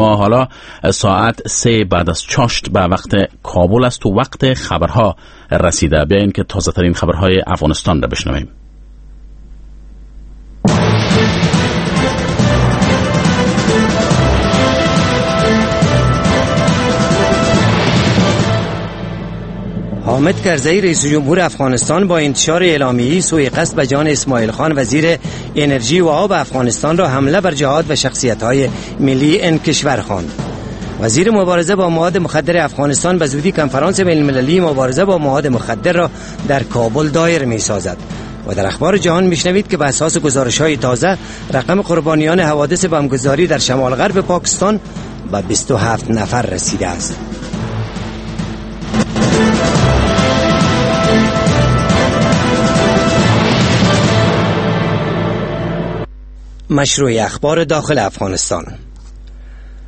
ما حالا ساعت 3 بعد از چاشت به وقت کابل است و وقت خبرها رسیده. بیاین که تازه ترین خبرهای افغانستان را بشنویم. حامد کرزی رئیس جمهور افغانستان با انتشار اعلامیه‌ای سوء قصد به جان اسماعیل خان وزیر انرژی و آب افغانستان را حمله بر جهاد و شخصیت‌های ملی این کشور خواند. وزیر مبارزه با مواد مخدر افغانستان به زودی کنفرانس بین‌المللی مبارزه با مواد مخدر را در کابل دایر می‌سازد. و در اخبار جهان میشنوید که به اساس گزارش‌های تازه رقم قربانیان حوادث بمبگذاری در شمال غرب پاکستان به 27 نفر رسیده است. مشروع اخبار داخل افغانستان.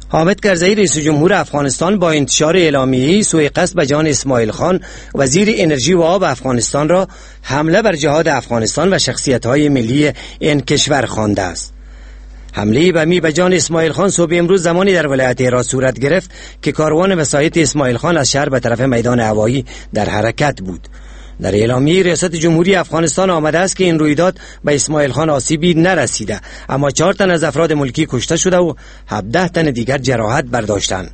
حامد کرزی رئیس جمهور افغانستان با انتشار اعلامیه‌ای سوء قصد به جان اسماعیل خان وزیر انرژی و آب افغانستان را حمله بر جهاد افغانستان و شخصیت‌های ملی این کشور خوانده است. حمله بمی به جان اسماعیل خان صبح امروز زمانی در ولایت هرات صورت گرفت که کاروان وسایط اسماعیل خان از شهر به طرف میدان هوایی در حرکت بود. در اعلامیه ریاست جمهوری افغانستان آمده است که این رویداد به اسماعیل خان آسیبی نرسیده، اما 4 تن از افراد ملکی کشته شده و 17 تن دیگر جراحت برداشتند.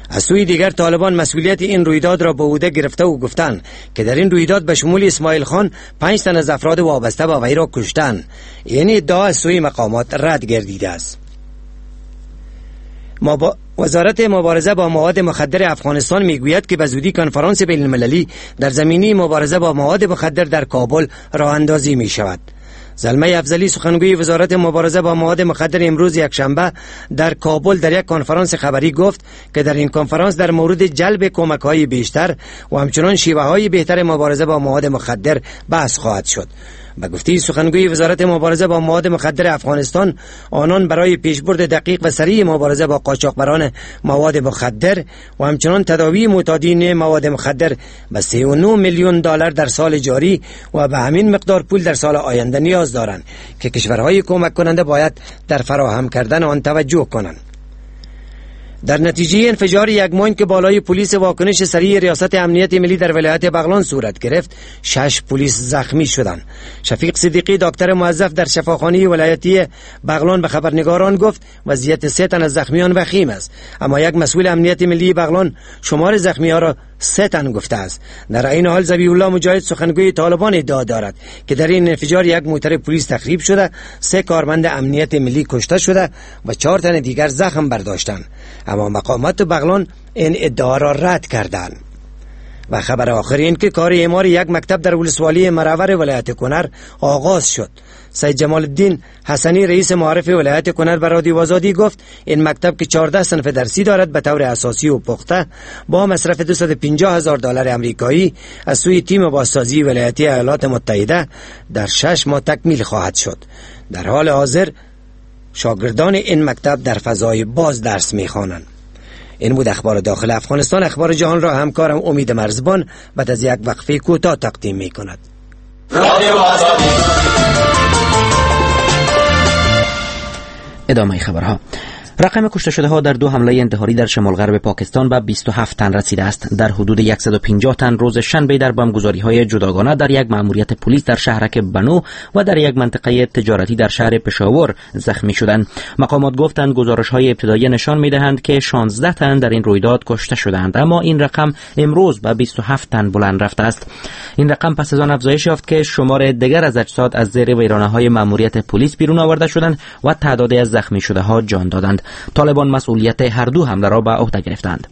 از سوی دیگر طالبان مسئولیت این رویداد را به عهده گرفته و گفتند که در این رویداد به شمول اسماعیل خان 5 تن از افراد وابسته به وی را کشتند. این ادعا از سوی مقامات رد گردیده است. وزارت مبارزه با مواد مخدر افغانستان میگوید که به زودی کنفرانس بین المللی در زمینه مبارزه با مواد مخدر در کابل راه اندازی می شود. زلمی افضلی سخنگوی وزارت مبارزه با مواد مخدر امروز یکشنبه در کابل در یک کنفرانس خبری گفت که در این کنفرانس در مورد جلب کمک‌های بیشتر و همچنان شیوه‌های بهتر مبارزه با مواد مخدر بحث خواهد شد. به گفته سخنگوی وزارت مبارزه با مواد مخدر افغانستان، آنان برای پیشبرد دقیق و سریع مبارزه با قاچاقبران مواد مخدر و همچنان تداوی معتادین مواد مخدر به 3.9 میلیون دلار در سال جاری و به همین مقدار پول در سال آینده نیاز دارند که کشورهای کمک کننده باید در فراهم کردن آن توجه کنند. در نتیجه انفجار یک ماین که بالای پلیس واکنش سریع ریاست امنیت ملی در ولایت بغلان صورت گرفت، 6 پلیس زخمی شدند. شفیق صدیقی دکتر موظف در شفاخانه ولایتی بغلان به خبرنگاران گفت وضعیت 3 تن از زخمیان وخیم است، اما یک مسئول امنیت ملی بغلان شمار زخمی ها را 3 تن گفته است. در این حال ذبیح الله مجاهد سخنگوی طالبان ادعا دارد که در این انفجار یک موتر پلیس تخریب شده، 3 کارمند امنیت ملی کشته شده و 4 تن دیگر زخم برداشتند، اما مقامات بغلان این ادعا را رد کردند. و خبر آخر این که کار اعمار یک مکتب در ولسوالی مرور ولایت کنر آغاز شد. سید جمال الدین حسنی رئیس معارف ولایت کنر به رادیو آزادی گفت این مکتب که 14 صنف درسی دارد به طور اساسی و پخته با مصرف 250,000 دلار آمریکایی از سوی تیم بازسازی ولایتی ایالات متحده در 6 ماه تکمیل خواهد شد. در حال حاضر شاگردان این مکتب در فضای باز درس می‌خوانند. این بود اخبار داخل افغانستان. اخبار جهان را همکارم امید مرزبان بعد از یک وقفه کوتاه تقدیم می‌کند. ادامه خبرها. رقم کشته شده ها در 2 حمله انتحاری در شمال غرب پاکستان به 27 تن رسیده است. در حدود 150 تن روز شنبه در بمبگذاری های جداگانه در یک مأموریت پلیس در شهرک بنو و در یک منطقه تجارتی در شهر پشاور زخمی شدند. مقامات گفتند گزارش های ابتدایی نشان می دهند که 16 تن در این رویداد کشته شدند، اما این رقم امروز به 27 تن بلند رفته است. این رقم پس از آن افزایش یافت که شمار دیگر از اجساد از زیر ویرانه های مأموریت پلیس بیرون آورده شدند و تعدادی از زخمی شده ها جان دادند. طالبان مسئولیت هر دو حمله را به عهده گرفتند.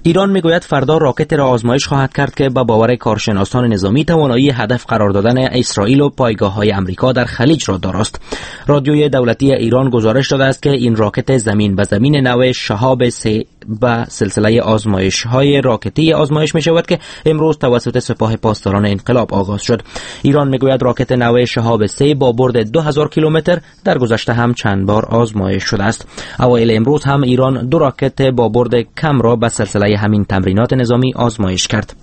ایران میگوید فردا راکت را آزمایش خواهد کرد که به باور کارشناسان نظامی توانایی هدف قرار دادن اسرائیل و پایگاه‌های امریکا در خلیج را داراست. رادیوی دولتی ایران گزارش داده است که این راکت زمین به زمین نوع شهاب 3 به سلسله آزمایش‌های راکتی آزمایش می‌شود که امروز توسط سپاه پاسداران انقلاب آغاز شد. ایران میگوید راکت نوع شهاب 3 با برد 2000 کیلومتر در گذشته هم چند بار آزمایش شده است. اوایل امروز هم ایران 2 راکت با برد کم را به سلسله همین تمرینات نظامی آزمایش کرد.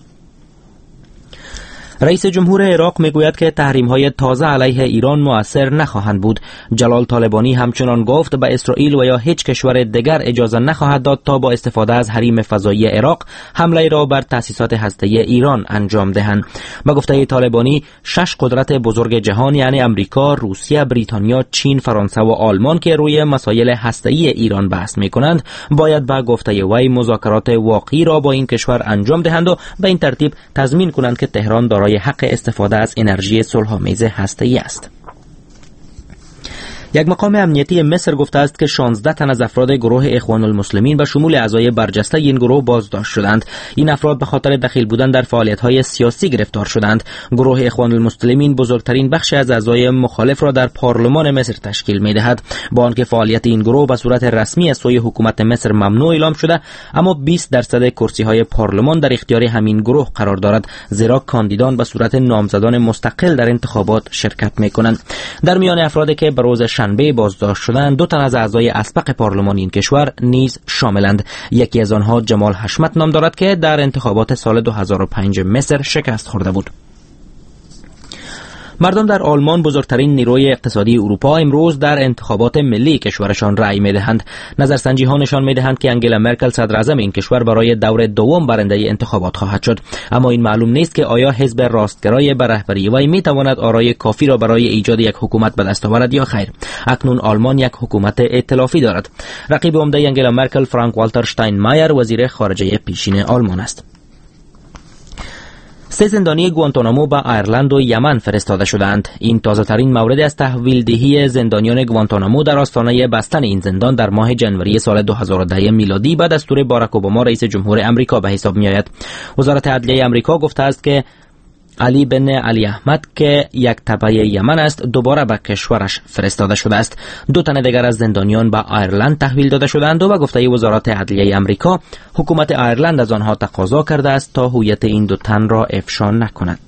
رئیس جمهور عراق میگوید که تحریم‌های تازه علیه ایران مؤثر نخواهند بود. جلال طالبانی همچنان گفت به اسرائیل و یا هیچ کشور دیگر اجازه نخواهد داد تا با استفاده از حریم فضایی عراق حمله را بر تأسیسات هسته‌ای ایران انجام دهند. به گفته طالبانی 6 قدرت بزرگ جهان یعنی امریکا، روسیه، بریتانیا، چین، فرانسه و آلمان که روی مسائل هسته‌ای ایران بحث می‌کنند باید به گفته وی مذاکرات واقعی را با این کشور انجام دهند و به این ترتیب تضمین کنند که تهران دارای حق استفاده از انرژی صلح‌آمیز هسته‌ای است. یک مقام امنیتی مصر گفته است که 16 تن از افراد گروه اخوان المسلمین به شمول اعضای برجسته این گروه بازداشت شدند. این افراد به خاطر دخیل بودن در فعالیت‌های سیاسی گرفتار شدند. گروه اخوان المسلمین بزرگترین بخش از اعضای مخالف را در پارلمان مصر تشکیل می‌دهد. با آنکه فعالیت این گروه به صورت رسمی از سوی حکومت مصر ممنوع اعلام شده، اما 20% کرسی‌های پارلمان در اختیار همین گروه قرار دارد، زیرا کاندیدان به صورت نامزدان مستقل در انتخابات شرکت می‌کنند. در میان افرادی که به روز شنبه بازداشت شدند، 2 تن از اعضای اسبق پارلمان این کشور نیز شاملند. یکی از آنها جمال حشمت نام دارد که در انتخابات سال 2005 مصر شکست خورده بود. مردم در آلمان، بزرگترین نیروی اقتصادی اروپا، امروز در انتخابات ملی کشورشان رأی می‌دهند. نظرسنجی ها نشان می‌دهند که انگلا مرکل صدر اعظم این کشور برای دور دوم برنده انتخابات خواهد شد، اما این معلوم نیست که آیا حزب راستگرای به رهبری وی می‌تواند آرای کافی را برای ایجاد یک حکومت به دست آورد یا خیر. اکنون آلمان یک حکومت ائتلافی دارد. رقیب عمده انگلا مرکل فرانک والتر شتاینمایر، وزیر خارجه پیشین آلمان است. 3 زندانی گوانتانامو به ایرلند و یمن فرستاده شدند. این تازه ترین مورد از تحویل دهی زندانیان گوانتانامو در آستانه بستن این زندان در ماه جنوری سال 2010 میلادی به دستور باراک اوباما رئیس جمهور امریکا به حساب می آید. وزارت عدلیه امریکا گفته است که علی بن علی احمد که یک تبع یمن است دوباره به کشورش فرستاده شده است. 2 تن دیگر از زندانیان به ایرلند تحویل داده شدند و به گفته وزارت عدلیه امریکا حکومت ایرلند از آنها تقاضا کرده است تا هویت این 2 تن را افشا نکند.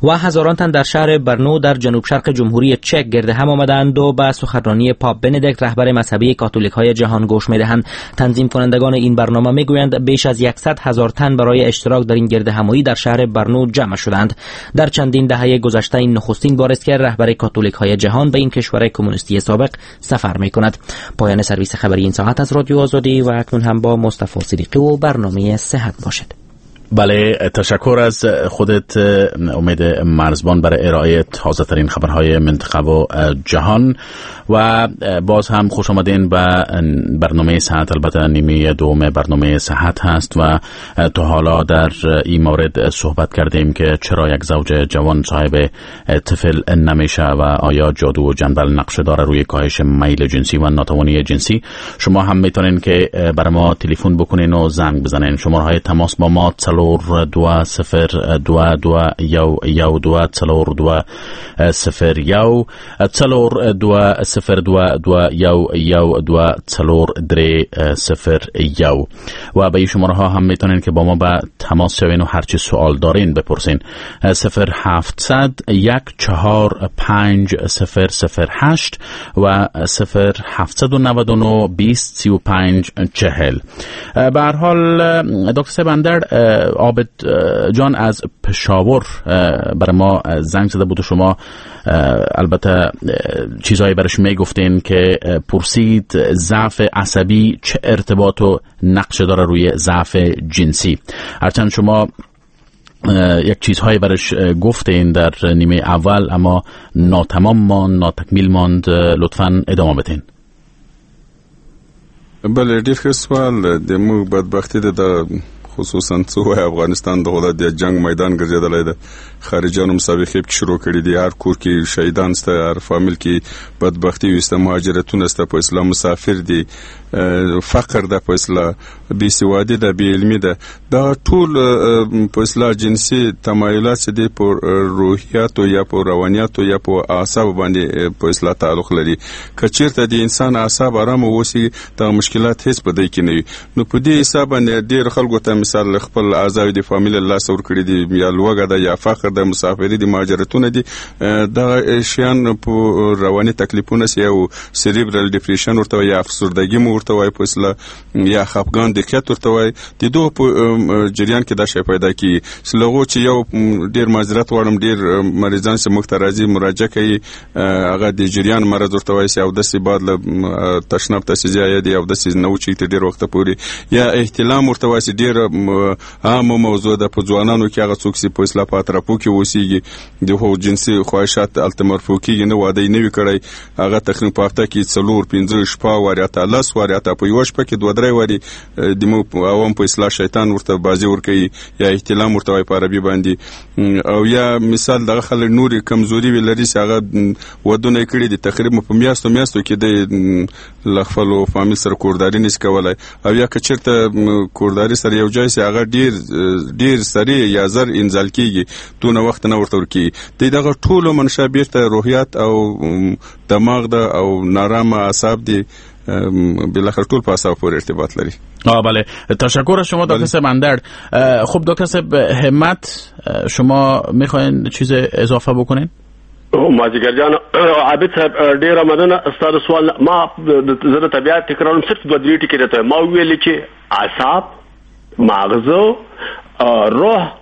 و هزاران تن در شهر برنو در جنوب شرق جمهوری چک گرد هم آمدند و به سخنرانی پاپ بندیکت رهبر مذهبی کاتولیک های جهان گوش می‌دهند. تنظیم کنندگان این برنامه میگویند بیش از 100,000 تن برای اشتراک در این گرد همایی در شهر برنو جمع شدند. در چندین دهه گذشته این نخستین بار است که رهبر کاتولیک های جهان به این کشور کمونیستی سابق سفر می‌کند. پایان سرویس خبری این ساعت از رادیو آزادی و اکنون هم با مصطفی صدیقی و برنامه صحت باشد. بله، تشکر از خودت امید مرزبان برای ارائه تازه ترین خبرهای منطقه و جهان و باز هم خوش آمدین به برنامه صحت. البته نیمه دوم برنامه صحت هست و تا حالا در این مورد صحبت کردیم که چرا یک زوج جوان صاحب طفل نمیشه و آیا جادو و جنبل نقش داره روی کاهش میل جنسی و ناتوانی جنسی. شما هم میتونین که برای ما تلفن بکنین و زنگ بزنین. شماره های تماس با ما 4 2 0 2 2 1 1 2 4 2 0 1 4 2 0 2 2 1 1 2 4 3 0 1 و به این شماره ها هم میتونین که با ما به تماس شوین و هرچی سوال دارین بپرسین. 0 700 1 4 5 0 0 8 و 0 799 20 35 40. به هر حال دکتر سبندر عابد جان از پشاور برای ما زنگ زده بود و شما البته چیزهایی برش میگفتین که پرسید ضعف عصبی چه ارتباط و نقش داره روی ضعف جنسی. هرچند شما یک چیزهایی برش گفتین در نیمه اول اما ناتمام ماند، ناتکمیل ماند. لطفاً ادامه بدین. بله، ډیر ښه سوال. د موږ بدبختي ده د خصوصا څو افغانستان دغه د جنگ میدان ګرځیدلی ده. خارجانو مسابقې پکې شروع کړې دي، هر کور کې شهیدان سته، هر فامیل کې بدبختي وسته، مهاجرتونه سته، په اصطلاح مسافر دي، فقر ده، په اصطلاح بې سوادي ده، بې علمي ده. دا ټول په اصطلاح جنسي تمایلات چې دي په روحیاتو یا په روانیاتو یا په اعصابو باندې په اصطلاح تعلق لري. که چیرته د انسان اعصاب آرام اوسي دا مشکلات هیڅ په دی کې نه وي. نو په دې حساب باندې ډېر خلکو ته مثال خپل اعضاوې د فامیل له لاسه ورکړي دي، یا لوږه ده، یا فقر ده، مسافري دي، مهاجرتونه دي، دغه شیان په رواني تکلیفونه سي او cerebral depression ورته وایي، یا افسردګي مو ورته وایي په اصطلاح، یا خفګان دقیقت ورته وایي. د دوه په جریان کې دا شی پیدا کیږي. چې له هغو چې یو ډېر معذرت غواړم، ډېر مریضان چې موږ ته راځي مراجعه کوي، هغه د جریان مرض ورته وایي، او داسې بعد له تشناب ته چې ځي دی او داسې نه وچېږي تر ډېر وخته پورې، یا احتلام ورته وایي چې ډېره عامه موضوع ده په ځوانانو کې، هغه څوک چې په اصطلاح په اطرافو کې اوسېږي، د هغو جنسي خواهشات هلته مرفوع کېږي، نه واده یې نه وي کړی، هغه تقریبا په هفته کې 4 5 شپه واري، حتی 10 واري، حتی په یوه شپه کې 2 3 واري د مو عوام په اصطلاح شیطان ورته بازي ورکوي، یا احتلام ورته وایي په عربي باندې. او یا مثال دغه خلک نورې کمزوري وي لري چې هغه ودونه یې کړي دي، تقریبا په میاشتو میاشتو کې دی له خپلو فامیل سره کورداري نشي کولی، او یا که چېرته کورداري سره یو ځای شي هغه ډېر ډېر سریع یا زر انزال کېږي، دونه وخت نه ورته ورکېږي. د دغه ټولو منشأ بېرته روحیات او دماغ ده او نارامه اعصاب دي، بالاخره ټول په اعصاب پورې ارتباط لري. بله، تشکر از شما دکتر صاحب اندرد. خب دکتر صاحب همت، شما میخواین چیز اضافه بکنین؟ مازیګر جان عابد صاحب ډیره مننه ستا د سوال. ما زه د طبیعت تکرارم، صرف 2 3 ټکي راته ما وویل چې اعصاب، ماغزه، روح،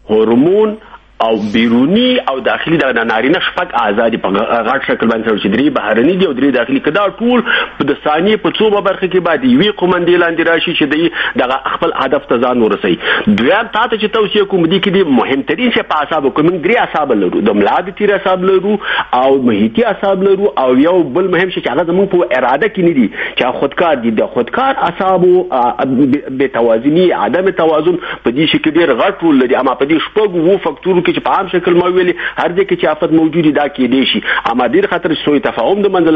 هورمون او بیرونی او داخلي د نارینه شپږ اعضا دي په غټ شکل باندې چې 3 بهرني دي او 3 داخلي. که دا ټول د ثانیې په څو برخه کې باید یوې قومندې لاندې راشي چې دی دغه خپل هدف ته ځان ورسوي. دویم تا ته چې توصیه کوم دې کې دي مهمترین شی په اعصابو کې، موږ 3 اعصاب لرو، د ملا د تیر اعصاب لرو او محیطي اعصاب لرو، او یو بل مهم شی چې هغه زموږ په اراده کې نه دي چې خودکار دي. د خودکار اعصابو بې توازني، عدم توازن په دې شي کې ډېر غټ رول لري. اما په دې 6 فکتورو کې چې په عام شکل ما ویلي هر ځای کې چې آفت موجود دي دا کېدای شي. اما ډېر خاطر چې سوء تفاهم د منځه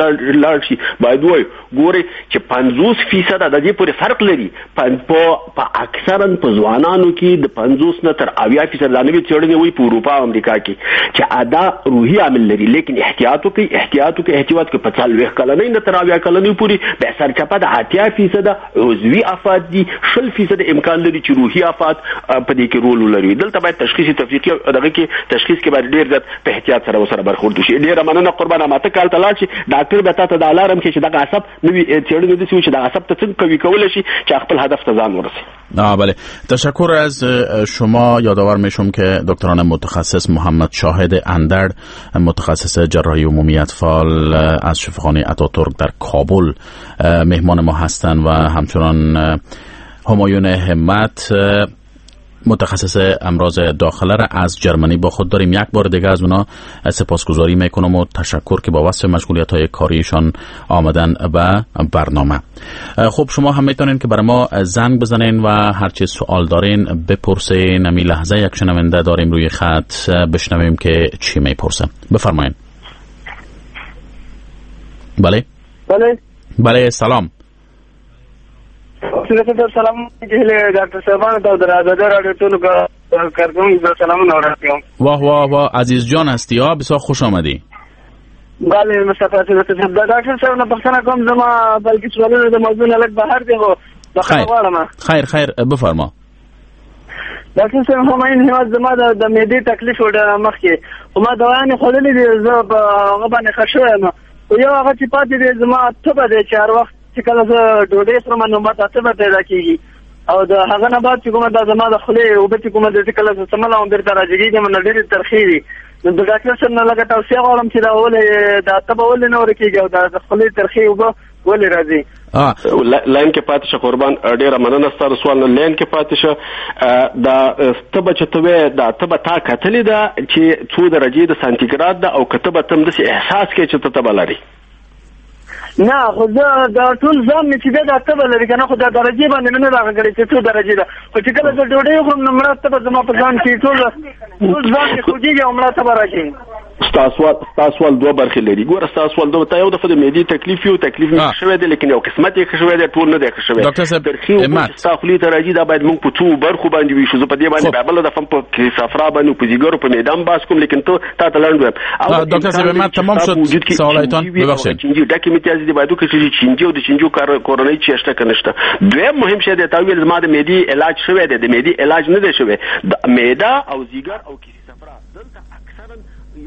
لاړ شي، باید ووایو ګورئ چې 50% د دې پورې فرق لري. په اکثرا په ځوانانو کې د 50 نه تر 70% دا نوې څېړنې وایي په اروپا او امریکا کې چې ادا روحي عامل لري، لیکن احتیاط وکړئ، احتیاط وکړئ، احتیاط وکړئ. په 40 کلنۍ نه تر 70 کلنۍ پورې بیا سرچپه د 80% عضوي آفات دي، 20% امکان لري چې روحي آفات په دې کې رول ولري. دلته باید تشخیص تفریقي دغه کې تشخیص کې باید ډېر زیات په احتیاط سره ورسره برخورد وشي. ډېره مننه قربانه. ما ته کال ته لاړ شي ډاکټر به تا ته دا الارم کړي چې دغه عصب نوې څېړنې داسې وي چې دغه عصب ته څنګه قوي کولی شي چې خپل هدف ته ځان ورسوي. بله، تشکر از شما. یادآور میشم که دکتران متخصص محمد شاهد اندرد، متخصص جراحی عمومی اطفال از شفاخانه اتاتورک در کابل مهمان ما هستند و همچنان همایون همت، متخصص امراض داخله را از جرمنی با خود داریم. یک بار دیگه از اونا سپاسگزاری میکنم و تشکر که با وصف مشغولیت های کاریشان آمدن به برنامه. خب شما هم میتونین که برای ما زنگ بزنین و هرچی سوال دارین بپرسین. امی لحظه یک شنونده داریم روی خط، بشنویم که چی میپرسه. بفرمایین. بله بله بله، سلام. سلام ډاکټر صاحبانو ته د ازادي راډیو ټولو کارکوونکو ته سلامونه وړاندې کوم. واه واه واه، عزیز جان هستی ها، بسیار خوش آمدی. بله مصطفی صاحب، ډاکټر صاحب نه پوښتنه کوم، زما بلکې سوالونه د موضوع نه لږ بهر دي، خو بخښنه غواړم. خیر خیر، بفرما. ډاکټر صاحب همایون هیواد، زما د معدې تکلیف و ډېر مخکې، خو ما دوايانې خوړلې دي، زه په هغه باندې ښه شوی یم، خو یو هغه چې پاتې دی زما تبه دی چې هر وخت چې کله زه ډوډۍ خورم نو ماته تبه پیدا کېږي، او د هغه نه بعد چې کومه دا زما د خولې اوبه چې کومه ده چې کله زه څملم بېرته راجګېږم نو ډېرې ترخې وي. نو د ډاکټر صاحب نه لږه توصیه غواړم چې دا ولې دا تبه ولې نه ورکېږي او دا د خولې ترخې اوبه ولې راځي؟ لاین کې پاتې شه قربان، ډېره مننه ستا د سوال نه. لاین کې پاتې شه. دا تبه چې ته وایې دا تبه تا کتلې ده چې څو درجې د سانتیګراد ده، او که تبه ته هم داسې احساس کوې چې ته تبه لرې؟ نه، خو زه دا ټول ځان مې چې دی دا تبه لري که نه، خو دا درجې باندې مې نه راغله کړې چې څو درجې ده، خو چې کله زه ډوډۍ وخورم نو مړه تبه زما په ځان کې ټول ځان مې خوږېږي او مړه تبه راځي. ستا سوال دوه برخې لري. ګوره ستا سوال دوه، تا یو دفعه د معدې تکلیف یو تکلیف مې شوی دی، لیکن یو قسمت یې ښه شوی دی، ټول نه دی ښه شوی. ډاکټر صاحب همت ستا خولې ته راځي، دا باید موږ په څو برخو باندې ویشو. زه په دې باندې بیا بله دفعه په صفرا باندې په ځیګر په معده هم بحث کوم، لیکن ته تا ته لنډ وایم. ډاکټر صاحب همت تمام شد سوالایتان، ببخشید. چینجي ډکې امتیاز دي باید وکړي چې چینجي او د چینجو کورنۍ چې شته که نشته. دویم مهم شی دی، تا ویل زما د معدې علاج شوی دی، د معدې علاج نه دی شوی. د معده او ځیګر او کیسې صفرا دلته اکثرا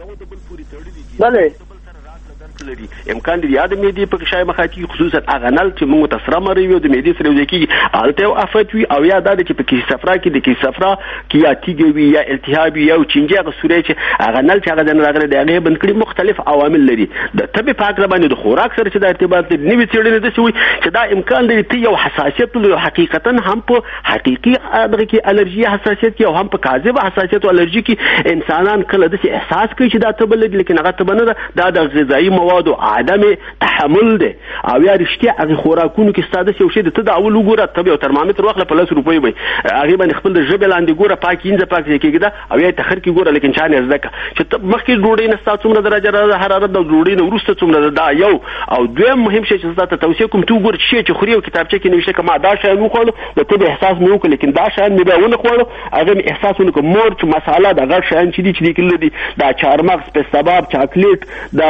یو د بل پورې تړلي دي، بله د بل سره راکړه درکړه لري. امکان لري یا د معدې په غشای مخاطي، خصوصا هغه نل چې موږ ته سره مري وي او د معدې سره یوځای کېږي، هلته یو افت وي، او یا دا دی چې په کیسې صفرا کې د کیسې صفرا کې یا تیږه وي یا التهاب وي یا چینجي هغه سوری چې هغه نل چې هغه ځای نه راغلی دی هغه یې بند کړي. مختلف عوامل لري. د تبې په هکله باندې د خوراک سره چې دا ارتباط لري، نوې څېړنې داسې وایي چې دا امکان لري ته یو حساسیت ولري، حقیقتا هم په حقیقي دغه کې الرژي حساسیت کې او هم په کاذب حساسیت او الرژي کې انسانان کله داسې احساس کوي چې دا تبه لري، لیکن هغه تبه نه ده، دا د غذایي موادو عدم تحمل دی. او یا رښتیا هغې خوراکونو کې ستا داسې یو شی دی، ته د اول وګوره تبه یو ترمامیتر واخله په 10 روپۍ وي، هغې باندې خپل د ژبې لاندې ګوره پاک اینځه پاک ځای کېږده، او یا یې تخر کې ګوره، لیکن چا نه زده کړه چې ته مخکې ډوډۍ نه ستا څومره درجه حرارت ده او ډوډۍ نه وروسته څومره ده. دا یو. او دویم مهم شی چې زه تاته توصیه کوم، ته وګوره چې شی چې خوري او کتابچه کې نوشته که ما دا شیان وخوړو د تبې احساس مې وکړ، لیکن دا شیان مې بیا ونه خوړو هغه مې احساس ونه کړ. مرچ مساله دا غټ شیان چې دي چې دې کې لري، دا چارمغز، پسته باب، چاکلیټ، دا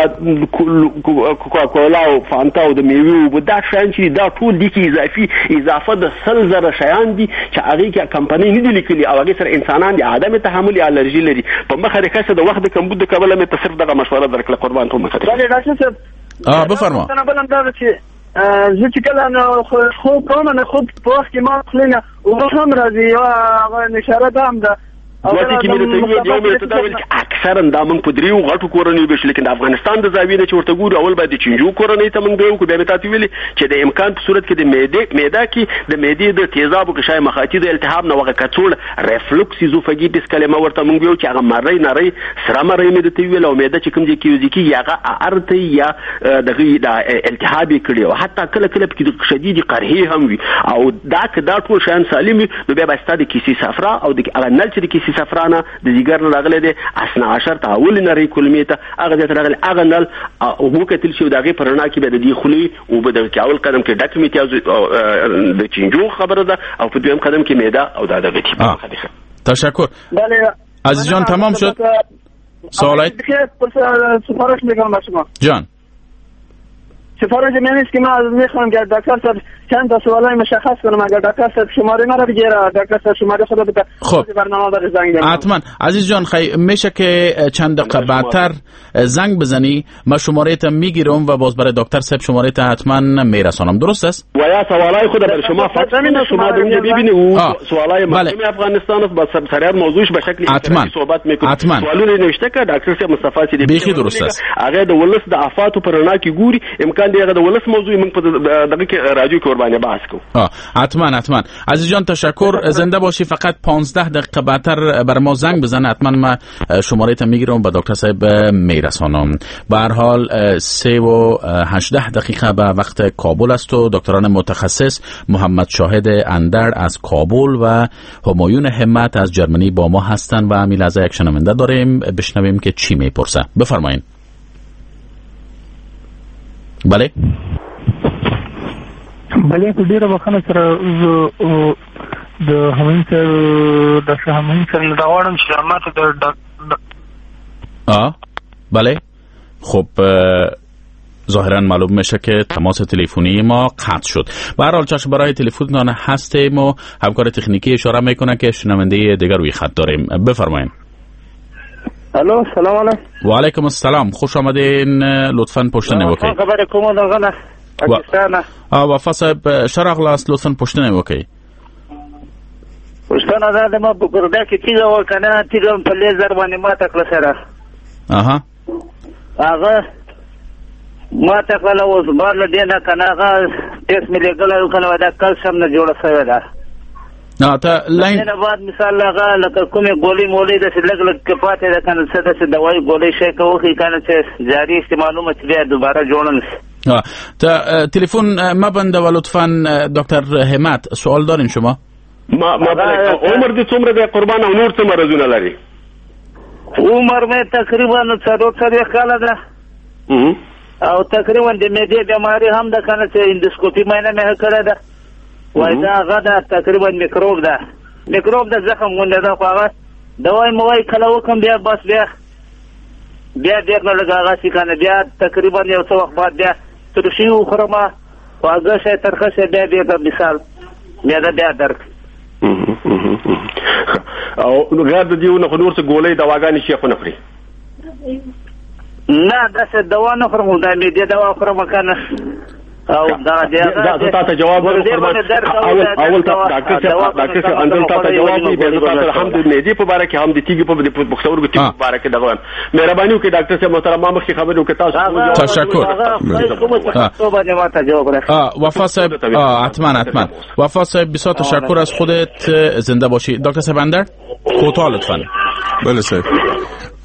کوکاکولا او فانتا او د میوې اوبه، دا شیان چې دي دا ټول دي کې اضافي اضافه د 100,000 شیان دي چې هغې کې کمپنۍ نه دي لیکلي او هغې سره انسانان د عدم تحمل یا الرژي لري. په مخه دې ښه شه، د وخت د کمبود د کبله مې ته صرف دغه مشوره درکړه. قربان ته مخه دې. بله ډاکټر صاحب بفرما. بل هم دا چې زه چې کله خوب کوم نو خوب په وخت کې ما خولې نه اوبه هم راځي، یوه هغه نشاره دا هم ده. دوه ټکي مې درته وویل، یو مې درته دا ویل چې اکثرا دا موږ په دریو غټو کورنیو وېشو، لیکن د افغانستان د زاویې نه چې ورته ګورو، اول باید د چینجو کورنۍ ته موږ بیا وکړو. بیا مې تاته ویلي چې د امکان په صورت کې د معده کې د معدې د تیزابو غشای مخاطي د التهاب نه هغه کڅوړه ریفلوکس ایزوفاګیټس کلمه ورته موږ ویو چې هغه مرۍ نرۍ سره مرۍ مې درته وویل، او معده چې کوم ځای کې یوځای کېږي هغه ارته یا دغه د التهاب یې کړي، او حتی کله کله پکې د شدیدې قرحې هم وي. او دا که دا ټول شیان سالم وي نو بیا به ستا د کیسې صفرا او د هغه نل چې د کیسې صفرا نه د ځیګر نه راغلی دی اثنا عشر ته اول نرۍ کلمې ته هغه ځای ته راغلی، هغه نل وکتل شي او د هغې په رڼا کې بیا د دې خولې اوبه دغه کې اول قدم کې ډک میتیاز د چینجو خبره ده، او په دویم قدم کې معده او دا دغه تیپ. تشکر عزیز جان، تمام شد سوالات. سفارش میکنم با شما جان. سفارش من است که من میخوام که دکتر صاحب چند تا سوالای مشخص کنم، اگر دکتر صاحب شماره مرا بگیره، دکتر صاحب شماره خود بده، خب برنامه برای زنگ بزنم. حتما عزیز جان، میشه که چند دقیقه بعدتر زنگ بزنی، ما شماره تا میگیرم و باز برای دکتر صاحب شماره تا حتما میرسانم. درست است؟ و یا سوالای خود برای شما فکس کنه، شما اونجا ببینی او سوالای مردم افغانستان است، با سریع موضوعش به شکل حتما صحبت میکنه. سوالونه نوشته که دکتر صاحب مصطفی صدیقی بیخی درست است. هغه د ولس د آفاتو پر رڼا کې ګوري، امکان دی هغه د ولس موضوع موږ په دغه کې رادیو کې ورباندې بحث کوو. حتما حتما عزیز جان تشکر، زنده باشی. فقط 15 دقیقه بعدتر بر ما زنگ بزن، حتما ما شماره تا میگیرم به دکتر صاحب میرسانم. به هر حال 3:18 به وقت کابل است و دکتران متخصص محمد شاهد اندر از کابل و همایون همت از جرمنی با ما هستند و همین لحظه یک شنونده داریم، بشنویم که چی میپرسه. بفرمایین. بله بله، په ډیره بخښنه سره زه د همایون صاحب ډاکټر همایون صاحب نه دا غواړم چې ماته د بله. خب ظاهرا معلوم میشه که تماس تلفنی ما قطع شد. به هر حال چشم برای تلفنتان هستیم و همکار تکنیکی اشاره میکنه که شنونده دیگر روی خط داریم. بفرمایین. الو، سلام علیکم. و علیکم السلام، خوش آمدین. لطفاً پوښتنه وکړئ. خبره کوم دغه پاکستان. وفا صاحب ښه راغلاست، لطفاً پوښتنه وکړئ. پوښتنه دا ده، ما په ګرده کې تیږه وه که نه، تیږه په لیزر باندې ماته کړه سره. اها، هغه ماته کړله، اوس بار له دې نه که نه هغه ټیسټ مې لېږلی و که نه، دا کلسیم نه جوړه شوې ده. ته لاین نه بعد مثال هغه لکه کومې ګولۍ مولۍ داسې لږ لږ کې پاتې ده که نه، څه داسې دوایي ګولۍ شی که وخوري که نه چې جاري استعمالومه چې بیا دوباره جوړه نه شي. تا تلفن ما بنده و لطفاً دکتر همت سوال دارین شما؟ ما بله. عمر دې څومره دی قربان، او نور څه مرضونه لري؟ عمر مې تقریبا 44 کاله ده. او تقریبا د معدې بیماری هم ده کنه، چې اندوسکوپي معاینه مې کړې ده. وای دا هغه ده تقریبا میکروب ده، میکروب د زخم غوندې ده، خو هغه دوای موای کله وکم بیا بس بیا بیا بېرته لږ هغسې که نه، بیا تقریبا یو څه وخت بعد بیا ترشي وخورم، خواږه شی ترخه شی، بیا بېرته مثال معده بیا درد. او غیر د دې نه خو نور څه ګولۍ دواګانې شي خو نه خوري؟ نه داسې دوا نه خورم، دا معدې دوا خورم که نه. او دا دا تاسو جواب ورکړم. اول ډاکټر صاحب، ډاکټر صاحب اندل تاسو جواب دی، به تاسو هم د معدې په باره کې هم د تیږې په پښتورګو تیږې په باره کې دغه وایم. مهرباني وکړئ ډاکټر صاحب محترم، ما مخکې خبرې وکړې، تاسو تشکر. وفا صاحب حتما حتما وفا صاحب بسیار تشکر از خودت، زنده باشی. دکتر صاحب اندر کوتاه لطفا. بله صاحب،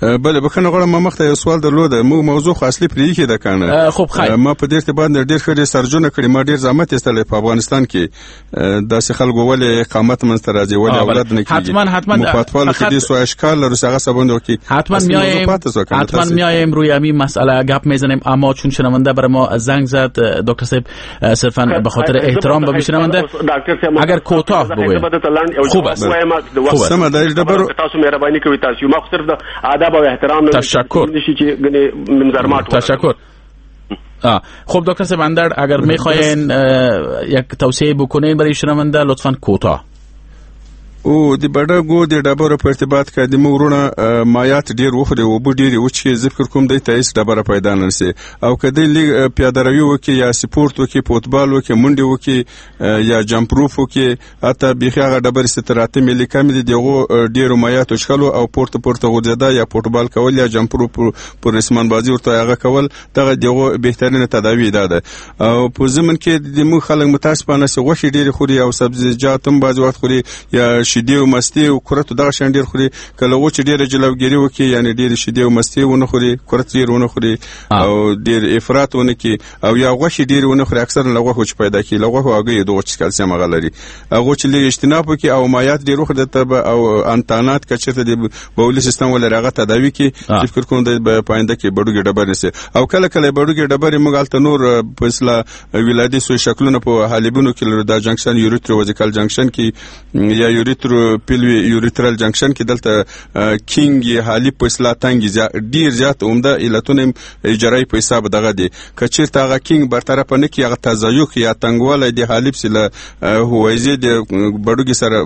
بله بخښنه غواړم، ما مخته یو سوال درلود، موږ موضوع خو اصلي پرې ایښې ده که نه. خب خیر، ما په دې ارتباط ډېر ښه ریسرچونه کړي، ما ډېر زحمت ایستلی په افغانستان کې داسې خلکو ولې اقامت منځته راځي، ولې اولاد نه کېږي. حتما حتما موږ په اطفالو کې دې څو اشکال لرو چې هغه څه باندې وکړي. حتما میایم، حتما میایم روی همین مسئله گپ میزنیم، اما چون شنونده برای ما زنگ زد دکتر صاحب، صرفا به خاطر احترام به شنونده اگر کوتاه بگویم خوب است. خوب است. تاسو مهرباني کوئ، تاسو ما خو صرف د ادب و احترام. تشکر. تشکر. خب دکتر صاحب اندر، اگر میخواین یک توصیه بکنین برای شنونده لطفاً کوتاه. او د بډګو د ډبرو په ارتباط کې د موږ وروڼه مایات ډېر وخوري، اوبه ډېرې وڅښي، زه فکر کوم دی ته هېڅ ډبره پیدا نه شي. او که دی لږ پیاده روي وکړي یا سپورت وکړي، فوټبال وکړي، منډې وکړي یا جمپ روف وکړي، حتی بیخي هغه ډبرې چې تر 8 میلي کمې دي، د هغو ډېرو مایاتو څښلو او پورته پورته غورځېدا یا فوټبال کول یا جمپ روف پر رسمان بازي ورته هغه کول، دغه د هغو بهترینه تداوي دا ده. او په ضمن کې د موږ خلک متاسفانه چې غوښې ډېرې خوري او سبزیجات هم بعضې وخت خوري یا شیدې او مستې او کرت دغه شیان ډېر خوري، کله و چې ډېره جلوګیري وکړي، یعنې ډېرې شیدې او مستې ونه خوري، کرت ډېر ونه خوري او ډېر افراط ونه کړي او یا غوښې ډېرې ونه خوري، اکثرا له غوښو چې پیدا کېږي، له غوښو هګیو دغو چې کلسیم هغه لري، هغو چې لږ اجتناب وکړي او مایات ډېر وخوري ته به او انتانات که چېرته د بولي سیستم ولري هغه تداوي کړي، فکر کوم دی به په آینده کې بډوګې ډبرې شي. او کله کله بډوګې ډبرې موږ هلته نور په اصطلاح ولادي سوی شکلونه په حالبونو کې لرو، دا جنکشن یوریترو وزیکال جنکشن کې یا یوریترو پیلوی یوریترال جنکشن کې دلته کینګ حالب په اصطلاح تنګ ډیر زیات عمده علتونه اجرایی په حساب دغه دي. که چېرته هغه کینګ برطرف نه کړي، هغه تضایق یا تنګوالی د حالب سره له هویزې د بډوګې سره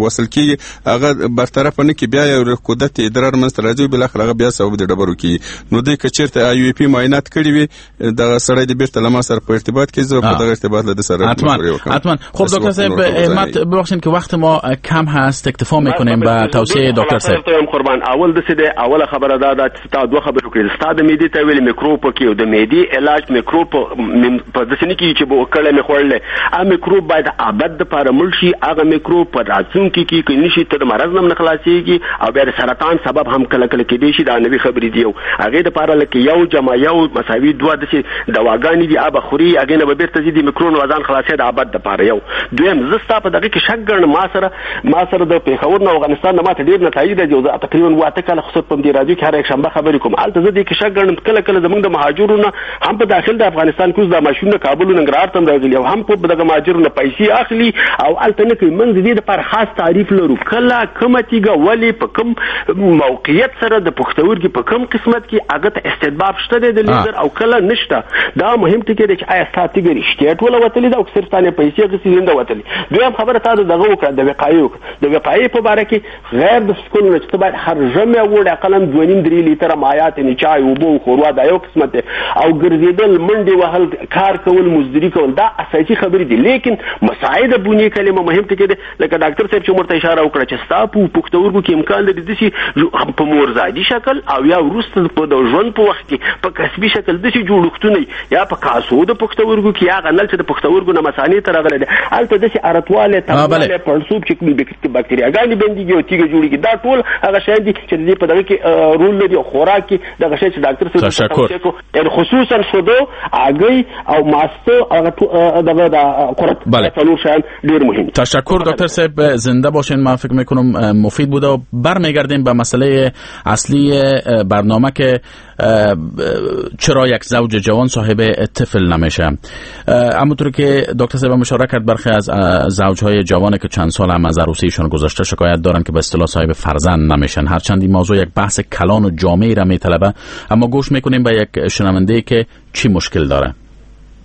وصل کېږي، هغه برطرف نه کړي، بیا یو رکودت ادرار منځته راځي، بالاخره هغه بیا سبب د ډبرو کېږي. نو دی که چېرته آی وی پی معاینات کړي وي، دغه سړی د بیرته له ما سره په ارتباط کې، زه په دغه ارتباط له ده سره مشورې وکړم. حتما. خب دکتر صاحب همت، ببخشید که وقت ما کم هست، اکتفا میکنیم به توصیه دکتر صاحب. قربان، اول داسې دی، اوله خبره دا ده چې تا دوه خبرې وکړې، ستا د معدې ته ویلې میکروب پکې او د معدې علاج میکروب په داسې نه کېږي چې کله مې خوړلی، هغه میکروب باید ابد دپاره مړ شي، هغه میکروب په راتلونکي کې که نه شي ته د مرض نه هم نه خلاصېږي او بیا د سرطان سبب هم کله کله کېدای شي. دا نوې خبرې دي. یو هغې دپاره لکه 1 + 1 = 2 داسې دواګانې دي، هغه به خوري، هغې نه به بېرته ځي د میکرو نه ځان خلاصوي د ابد دپاره. یو دویم، زه ستا په دغه کې شک ګڼم، ما سره د پېښور نه افغانستان نه ماته ډېر نتایج راځي، زه تقریبا 8 کاله خو په دې راډیو کې هر یکشنبه خبرې کوم، هلته زه دې کې شک ګڼم کله کله زموږ د مهاجرو نه هم په داخل د افغانستان کې اوس دا ماشینونه کابل او ننګرهار ته هم راغلي او هم په دغه مهاجرو نه پیسې اخلي او هلته نه کوي. موږ د دې دپاره خاص تعریف لرو، کله کومه تیږه ولې په کوم موقعیت سره د پښتورګي په کوم قسمت کې هغه ته استطباب شته دی د لیزر او کله نشته. دا مهم ټکی دی چې آیا ستا تیږه رښتیا ټوله وتلې ده او که صرف تا نه پیسې اخیستې دي نه ده وتلې. دویم خبره تا د دغه وکړه، د وقایې وکړه. د وقایې په باره کې غیر د څښلو نه چې ته باید هر ژمی وړې اقلا 2.5-3 لیتره مایات، یعنې چای، اوبه او ښوروا، دا یو قسمت دی، او ګرځېدل، منډې وهل، کار کول، مزدوري کول، دا اساسي خبرې دي. لیکن مساعده بنیې کلمه مهم ټکی دی، لکه ډاکټر صاحب چې ورته اشاره وکړه چې ستا په پښتورګو کې امکان لري داسې په مورزادي شکل او یا وروسته په د ژوند په وخت کې په کسبي شکل داسې جوړښتونه یا په کاسو د پښتورګو کې یا هغه نل چې د پښتورګو نه مثانې ته راغلی دی، هلته داسې ارتوالی، تنګوالی، پړسوب چې کې باکتریاګانې بنديږي او تیږه جوړیږي. دا ټول هغه شیان دي چې د دې په دغه کې رول لري او خوراک کې دغه شی چې ډاکټر صاحب توصیه کو، یعنی خصوصا شودو، هګۍ او ماسته، هغه دغه د قرت، څلور شیان ډیر مهم. تشکر دکتر صاحب، زنده باشین. من فکر میکنم مفید بوده و برمیگردیم به مسئله اصلی برنامه که چرا یک زوج جوان صاحب طفل نمیشه. همونطور که دکتر صاحب اشاره کرد، برخی از زوجهای جوان که چند سال هم از عروسیشان گذشته شکایت دارن که به اصطلاح صاحب فرزند نمیشن. هرچند این موضوع یک بحث کلان و جامعی را میطلبه، اما گوش میکنیم به یک شنونده که چی مشکل داره.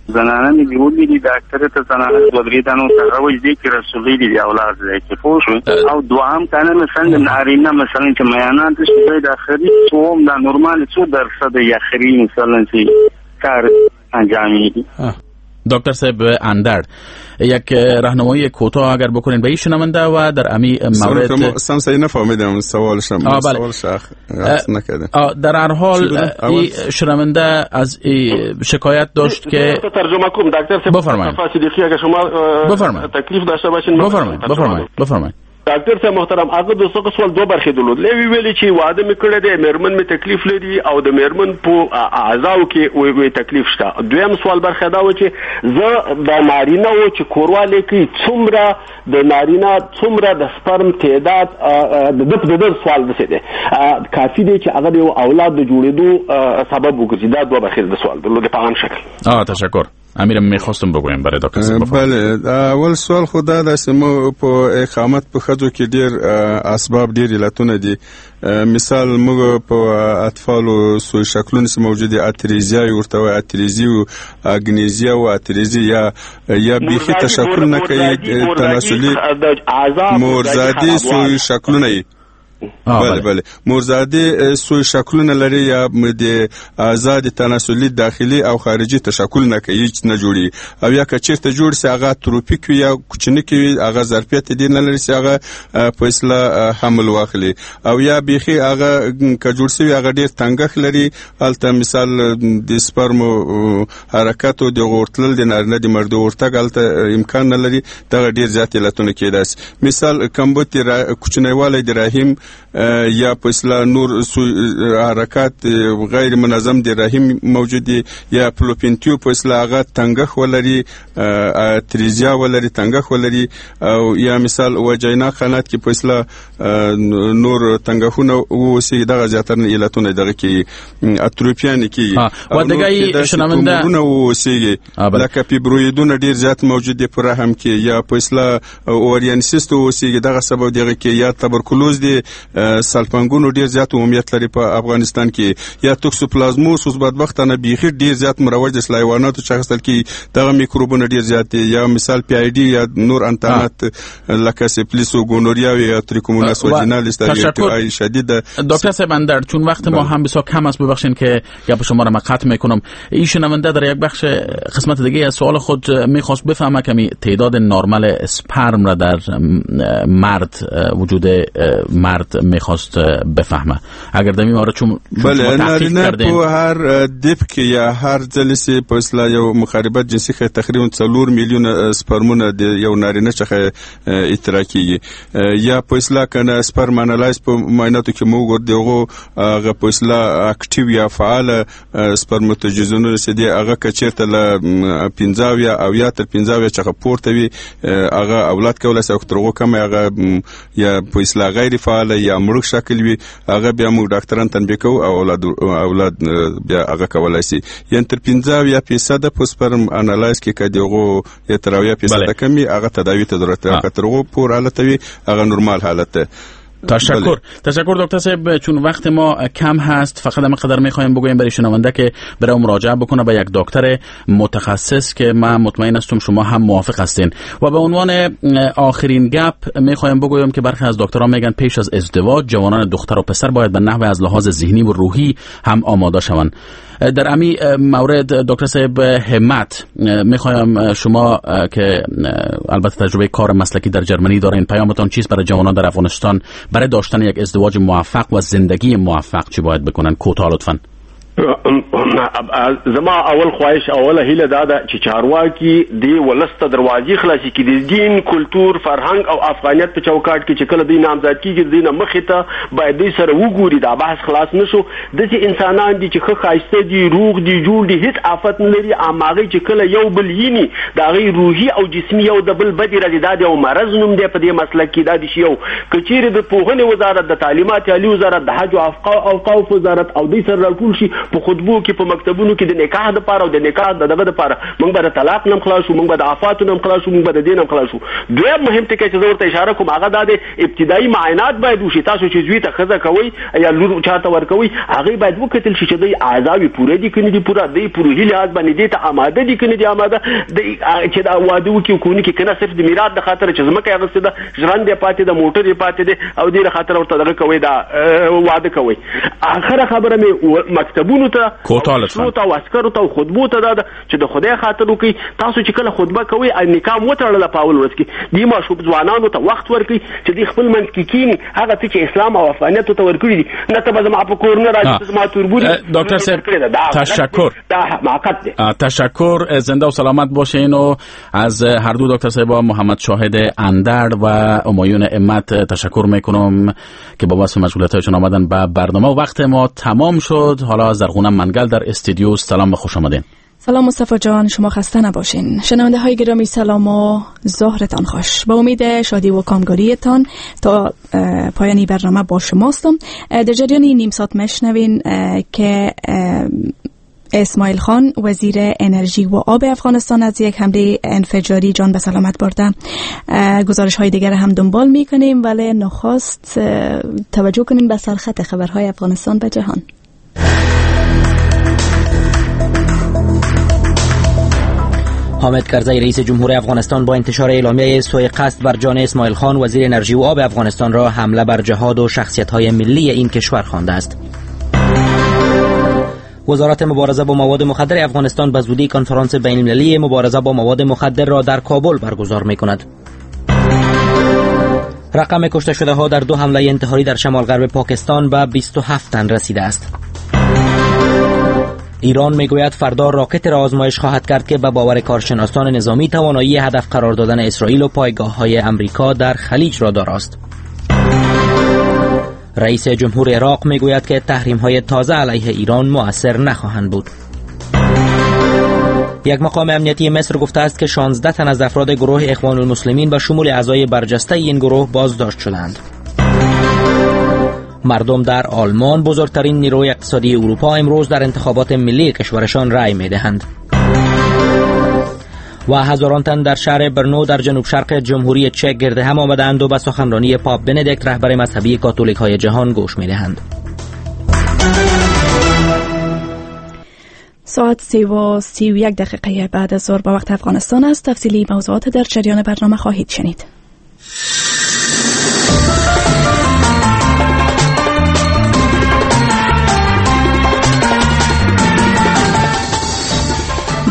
زنانه مې نیولې دي ډاکټر ته، زنانه دوه درې دانو ته هغه وایي دې کې رسولي دي اولاد دی چې پوه شو. او دوهم کنه مثلا نارینه مثلا چې میانان ته شي د اخري څوم دا نورمال څو درصد یا اخري مثلا چې کار انجامېږي. دکتر صاحب اندر، یک راهنمایی کوتاه اگر بکنین به این شنونده و در امی مورد. سم صحیح نفهمیدم سوالشم. سوال شخ نکردم. در هر حال این شنونده از شکایت داشت که ترجمه کنم دکتر صاحب. بفرمایید. صدیقی اگر شما تکلیف داشته باشین. بفرمایید بفرمایید. ډاکټر صاحب محترم، هغه د څه سوال دوه برخې درلود. لوی ویلي چې واده مې کړی دی، مېرمن مې تکلیف لري او د مېرمن په اعضاو کې وی تکلیف شته. دویم سوال برخه دا و چې زه د نارینه و چې کوروالی کوي څومره د نارینه څومره د سپرم تعداد د ده سوال داسې دی کافي دی چې هغه د یو اولاد د جوړېدو سبب وګرځي. دا دوه برخې د سوال درلود په عام شکل. تشکر. امیرم میخواستم بگویم برای دکتر صاحب. بله، اول سوال خو دا ده چې موږ په اقامت په ښځو کې ډېر اسباب ډېر علتونه دي. مثال موږ په اطفالو سوی شکلونه چې موجود دي، اتریزیا ورته وایي، اتریزي او اګنیزیا او اتریزي یا بیخي تشکل نه کوي، تناسلي مورزادي سوی شکلونه یې. بله بله، مورزادي سوی شکلونه لري یا د آزاد تناسلي داخلي او خارجي تشکل نه کوي، هیڅ نه جوړي. او یا که چیرته جوړ سي هغه تروپیک وي یا کوچني وي، هغه ظرفیت دې نه لري چې هغه په اصطلاح حمل واخلي. او یا بیخي هغه که جوړ سوي هغه ډیر تنګښت لري، هلته مثال د سپرمو حرکت او د غورتلل د نارینه د مردو ورتګ هلته امکان نه لري. دغه ډیر زیات علتونه کېدای سي. مثال کمبوت کوچنیوالی د رحم یا په اصطلاح نور حرکات غیر منظم د رحم موجود دي، یا پلوپینتیو په اصطلاح هغه تنګښت ولري، تریزیا ولري، تنګښت ولري، او یا مثال وجینا قنات کې په اصطلاح نور تنګښونه واوسي. دغه زیاتره علتونه دغه کې اتروپیان کېږي. و دیگه شنونده واوسيږي، لکه فیبرویدونه ډیر زیات موجود دي په رحم کې، یا په اصطلاح اورینسیست واوسيږي، دغه سبب دغه کې، یا تبرکلوز دی، سالپنګونو ډیر زیات عمومیت لري په افغانستان کې، یا توکسوپلازموس اوس بدبختانه بیخي ډیر زیات مروج دی، حیواناتو چې اخیستل کېږي دغه میکروبونه ډیر زیات دي، یا مثال پی آی ډي یا نور انتانات لکه سپلیس و گونوریا یا تریکوموناس واجینالیس در ای شدید. دکتر صاحب اندر، چون وقت ما هم بسیار کم است، ببخشین که گپ شما را من قطع میکنم. این شنونده در یک بخش قسمت دیگه از سوال خود میخواست بفهمه کمی تعداد نرمال اسپرم را در مرد وجود مرد میخواست بفهمه. اگر در این مورد چون بله، نارینه په هر دپ کې یا هر ځل چې په اصطلاح یو مخاربت جنسي ښه تقریبا 4 میلیون سپرمونه د یو نارینه څخه اطراح کیږي، یا په اصطلاح کنه سپرم انالایز په معایناتو کې موږ دغه هغه په اصطلاح اکټیو یا فعال سپرماتوجیزونه چې دی هغه که چیرته له 15 او یا تر 15 څخه پورته وي هغه اولاد کولای شي، او تر هغو کم هغه یا په اصطلاح غیر فعال یا مړ شکل وي هغه بیا موږ ډاکټران تنبیه کوو او اولاد بیا هغه کولای شي. یعنی تر 15% په سپرم انالایز کې که دغه یا تر 70% کمی هغه تداوی ته ضرورت لري، که تر هغو پور حالت وي هغه نورمال حالت ده. تشکر دکتر صاحب، چون وقت ما کم هست فقط هم قدر میخوایم بگویم برای شنونده که برای مراجعه بکنه به یک دکتر متخصص که من مطمئن هستم شما هم موافق هستین. و به عنوان آخرین گپ میخوایم بگویم که برخی از دکترها میگن پیش از ازدواج جوانان دختر و پسر باید به نحو از لحاظ ذهنی و روحی هم آماده شوند. در امی مورد دکتر صاحب همت میخوایم شما که البته تجربه کار مسلکی در جرمنی دارین، پیامتان چیست برای جوانان در افغانستان برای داشتن یک ازدواج موفق و زندگی موفق چی باید بکنن؟ کوتاه لطفاً. زما اول خواهش، اوله هیله دا ده چې چارواکي دې ولس ته دروازې خلاصې کړي، د دین، کلتور، فرهنګ او افغانیت په چوکاټ کې چې کله دوی نامزاد کېږي، د دوی نه مخې ته باید دوی سره وګوري. دا بحث خلاص نه شو. داسې انسانان دي چې ښه ښایسته دي، روغ دي، جوړ دي، هیڅ آفت نه لري، اما هغوی چې کله یو بل ویني د هغوی روحي او جسمي یو د بل بدې راځي. دا د یو مرض نوم دی په دې مسلک کې. دا د شي یو که چیرې د پوهنې وزارت، د تعلیمات عالي وزارت، د حج او اوقاف وزارت او دوی سره راټول شي په خطبو کې، په مکتبونو کې د نکاح دپاره او د نکاح د دغه دپاره، موږ به د طلاق نه هم خلاص شو، موږ به د آفاتو نه هم خلاص شو، موږ به د دې نه هم خلاص شو. دویم مهم ټکی چې زه ورته اشاره کوم هغه دا دی، ابتدایي معاینات باید وشي. تاسو چې زوی ته ښځه کوئ یا لور چاته ورکوئ، هغې باید وکتل شي چې دوی اعضاوې پوره دي که نه دي پوره، دوی په روحي لحاظ باندې دې ته اماده دي که نه دي اماده، دوی چې دا واده وکړي او که ونه کړي، که نه صرف د میراث د خاطره چې ځمکه یې اخیستې ده، ژرند یې پاتې ده، موټر یې پاتې دی او دې له خاطره ورته دغه کوئ، دا واده کوئ. آخره خبره مې مکتبونو ته، ته او عسکرو ته او خطبو ته دا ده چې د خدای خاطر وکړئ. تاسو چې کله خطبه کوئ نکاح مو وتړله په اول ورځ کې، دې ماشوم ځوانانو ته وخت ورکړئ چې دوی خپل منځ کې کښېني، هغه څه چې اسلام او افغانیت ته ورکړي دي، نه ته به زما په کور نه راځې، ته زما تربور. دکتر صاحب تشکر، دا حماقت دی. تشکر، زنده و سلامت باشین. و از هر دو دکتر صاحب محمد شاهد اندر و همایون امت تشکر میکنم که با واسه مشغولیت‌هایشون آمدن به برنامه. وقت ما تمام شد. حالا زرغونه منگل در استودیو، سلام و خوش آمدین. سلام مصطفی جان، شما خسته نباشین. شنونده های گرامی سلام و ظهرتان خوش. با امید شادی و کامگاریتان تا پایانی برنامه با شماستم. در جریان نیم ساعت مشنوین که اسماعیل خان وزیر انرژی و آب افغانستان از یک حمله انفجاری جان به سلامت برده. گزارش های دیگر هم دنبال میکنیم، ولی نخست توجه کنیم به سرخط خبرهای افغانستان به جهان. حامد کرزی رئیس جمهور افغانستان با انتشار اعلامیه سوء قصد بر جان اسماعیل خان وزیر انرژی و آب افغانستان را حمله بر جهاد و شخصیت‌های ملی این کشور خوانده است. وزارت مبارزه با مواد مخدر افغانستان به زودی کنفرانس بین‌المللی مبارزه با مواد مخدر را در کابل برگزار می‌کند. رقم کشته شده ها در دو حمله انتحاری در شمال غرب پاکستان به 27 تن رسیده است. ایران میگوید فردا راکت را آزمایش خواهد کرد که به باور کارشناسان نظامی توانایی هدف قرار دادن اسرائیل و پایگاه‌های امریکا در خلیج را داراست. رئیس جمهور عراق میگوید که تحریم‌های تازه علیه ایران مؤثر نخواهند بود. یک مقام امنیتی مصر گفته است که 16 تن از افراد گروه اخوان المسلمین به شمول اعضای برجسته این گروه بازداشت شدند. مردم در آلمان، بزرگترین نیروی اقتصادی اروپا، امروز در انتخابات ملی کشورشان رأی می‌دهند. و هزاران تن در شهر برنو در جنوب شرق جمهوری چک گرد هم آمدند و به سخنرانی پاپ بندیکت رهبر مذهبی کاتولیک‌های جهان گوش می‌دهند. ساعت 3:31 بعد از ظهر با وقت افغانستان است. تفصیلی موضوعات در جریان برنامه خواهید شنید.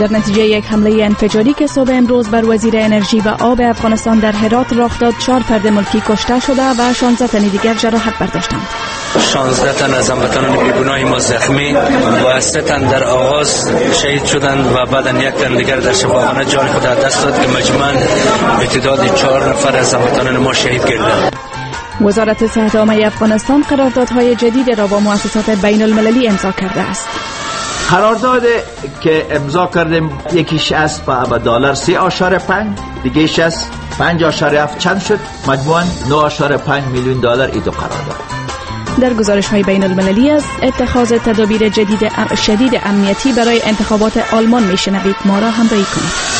در نتیجه یک حمله انفجاری که صبح امروز بر وزیر انرژی و آب افغانستان در هرات رخ داد، 4 فرد ملکی کشته شده و 16 تن دیگر جراحت برداشتند. 16 تن از هموطنان بیگناه ما زخمی و 3 تن در آغاز شهید شدند و بعدا 1 تن دیگر در شفاخانه جان خود از دست داد که مجموعاً به تعداد 4 نفر از هموطنان ما شهید گردند. وزارت صحت عامه افغانستان قراردادهای جدید را با مؤسسات بین المللی امضا کرده است. قرارداد که امضا کردیم یکیش است با دلار 3.5، دیگهش است 5.7، چند شد؟ مجموعاً 9.5 میلیون دلار این دو قرارداد. در گزارش های بین المللی از اتخاذ تدابیر جدید شدید امنیتی برای انتخابات آلمان میشنوید. ما را همراهی کنید.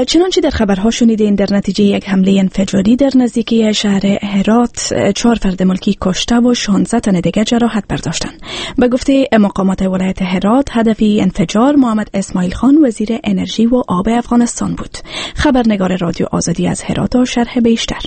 چنانچه در خبرها شنیدین، در نتیجه یک حمله انفجاری در نزدیکی شهر هرات 4 فرد ملکی کشته و 16 تن دیگر جراحت برداشتند. به گفته مقامات ولایت هرات، هدف انفجار محمد اسماعیل خان وزیر انرژی و آب افغانستان بود. خبرنگار رادیو آزادی از هرات و شرح بیشتر.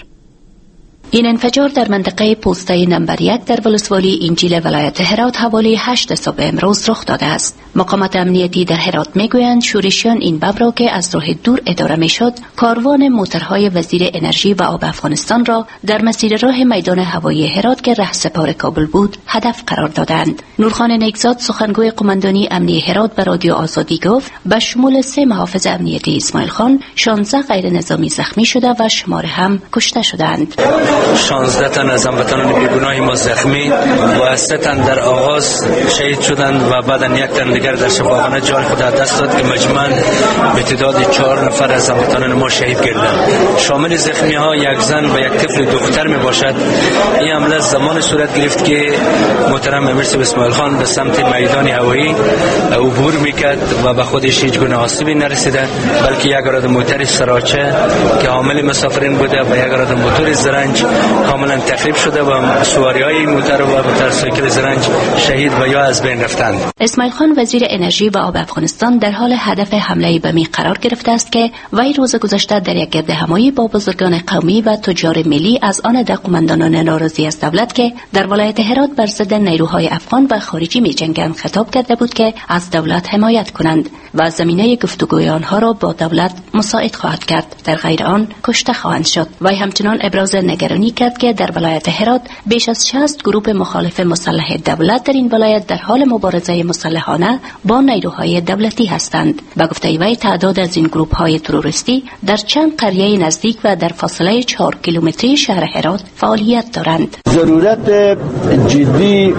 این انفجار در منطقه پوسته نمبر 1 در ولسوالی انجیل ولایت هرات حوالی 8 صبح امروز رخ داده است. مقامات امنیتی در هرات میگویند شورشیان این بم را که از راه دور اداره میشد، کاروان موترهای وزیر انرژی و آب افغانستان را در مسیر راه میدان هوایی هرات که رهسپار کابل بود هدف قرار دادند. نورخان نیکزاد، سخنگوی قماندانی امنی هرات، به رادیو آزادی گفت به شمول 3 محافظ امنیتی اسماعیل خان 16 غیر نظامی زخمی شده و شمار هم کشته شدند. 16 تن از هموطنان بیگناه ما زخمی و 3 تن در آغاز شهید شدند و بعدا 1 تن دیگر در شفاخانه جان خود از دست داد که مجموعاً به تعداد 4 نفر از هموطنان ما شهید گردند. شامل زخمی ها 1 زن و 1 طفل دختر می باشد. این حمله زمان صورت گرفت که محترم امیر اسماعیل خان به سمت میدان هوایی عبور میکرد و به خودش هیچ گونه آسیبی نرسیده، بلکه یک عدد موتر سراچه که حامل مسافرین بوده و یک عدد موتور زرنج کاملا تخریب شده و سواری های موتر و موتورسایکل زرنج شهید و یا از بین رفتند. اسماعیل خان وزیر انرژی و آب افغانستان در حال هدف حمله بمی قرار گرفته است که وی روز گذشته در یک گردهمایی با بزرگان قومی و تجار ملی از آن ده قماندانان ناراضی از دولت که در ولایت هرات بر ضد نیروهای افغان و خارجی می‌جنگند خطاب کرده بود که از دولت حمایت کنند و زمینه گفتگوی آنها را با دولت مساعد خواهد کرد، در غیر آن کشته خواهند شد. وی همچنان ابراز نگرانی کرد که در ولایت هرات بیش از 60 گروه مخالف مسلح دولت در این ولایت در حال مبارزه مسلحانه با نیروهای دولتی هستند. به گفته وی تعداد از این گروه‌های تروریستی در چند قریه نزدیک و در فاصله 4 کیلومتری شهر هرات فعالیت دارند. ضرورت جدی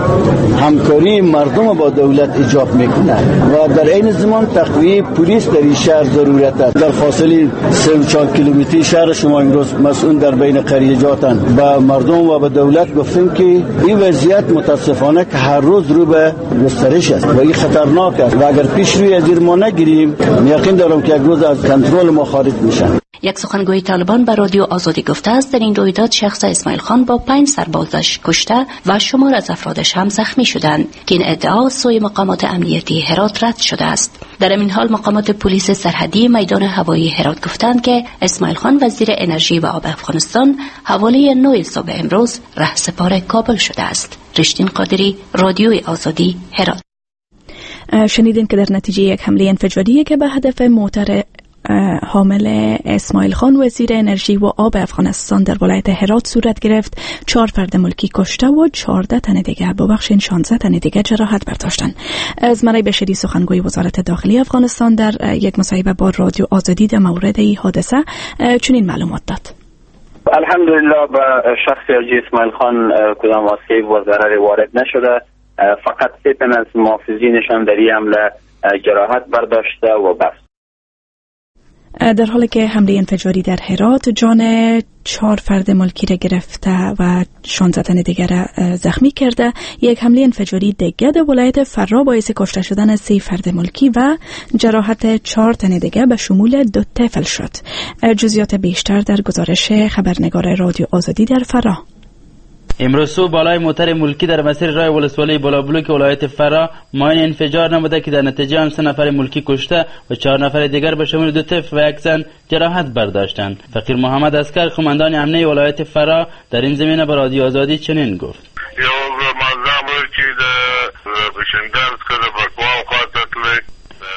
همکاری مردم با دولت ایجاب میکنه و در عین زمان تقویه پلیس در این شهر ضرورت است. در فاصله 3-4 کیلومتری شهر شما امروز مسئول در بین قریه‌جاتن با مردم و به دولت گفتیم که این وضعیت متاسفانه که هر روز رو به گسترش است و این خطرناک است و اگر پیش روی از ما نگیریم یقین دارم که یک روز از کنترل ما خارج میشن. یک سخنگوی طالبان به رادیو آزادی گفته است در این رویداد شخص اسماعیل خان با 5 سربازش کشته و شمار از افرادش هم زخمی شدند که این ادعا سوی مقامات امنیتی هرات رد شده است. در این حال مقامات پلیس سرحدی میدان هوایی هرات گفتند که اسماعیل خان وزیر انرژی و آب افغانستان حوالی 9 صبح امروز رهسپار کابل شده است. رشتین قادری، رادیو آزادی، هرات. شنیدین که در نتیجه یک حمله انفجاری که به هدف موتر حامل اسماعیل خان وزیر انرژی و آب افغانستان در ولایت هرات صورت گرفت، 4 فرد ملکی کشته و 14 تن دیگر 16 تن دیگر جراحت برداشتند. از مرای بشری سخنگوی وزارت داخلی افغانستان در یک مصاحبه با رادیو آزادی در مورد این حادثه چنین معلومات داد. الحمدلله به شخص حاجی اسماعیل خان کدام آسیب و ضرر وارد نشده، فقط 3 تن از محافظینشان در این حمله جراحت برداشته و بس. در حالی که حمله انفجاری در هرات جان 4 فرد ملکی را گرفته و 16 تن دیگر را زخمی کرده، یک حمله انفجاری دیگر در ولایت فراه باعث کشته شدن 3 فرد ملکی و جراحت 4 تن دیگر به شمول 2 طفل شد. جزئیات بیشتر در گزارش خبرنگار رادیو آزادی در فراه. امروز صبح بالای موتر ملکی در مسیر راه ولسوالی بالابلوک ولایت فراه ماین انفجار نموده که در نتیجه آن 3 نفر ملکی کشته و 4 نفر دیگر به شمول 2 طفل و 1 زن جراحت برداشتند. فقیر محمد عسکر قماندان امنیه ولایت فراه در این زمینه به رادیو آزادی چنین گفت: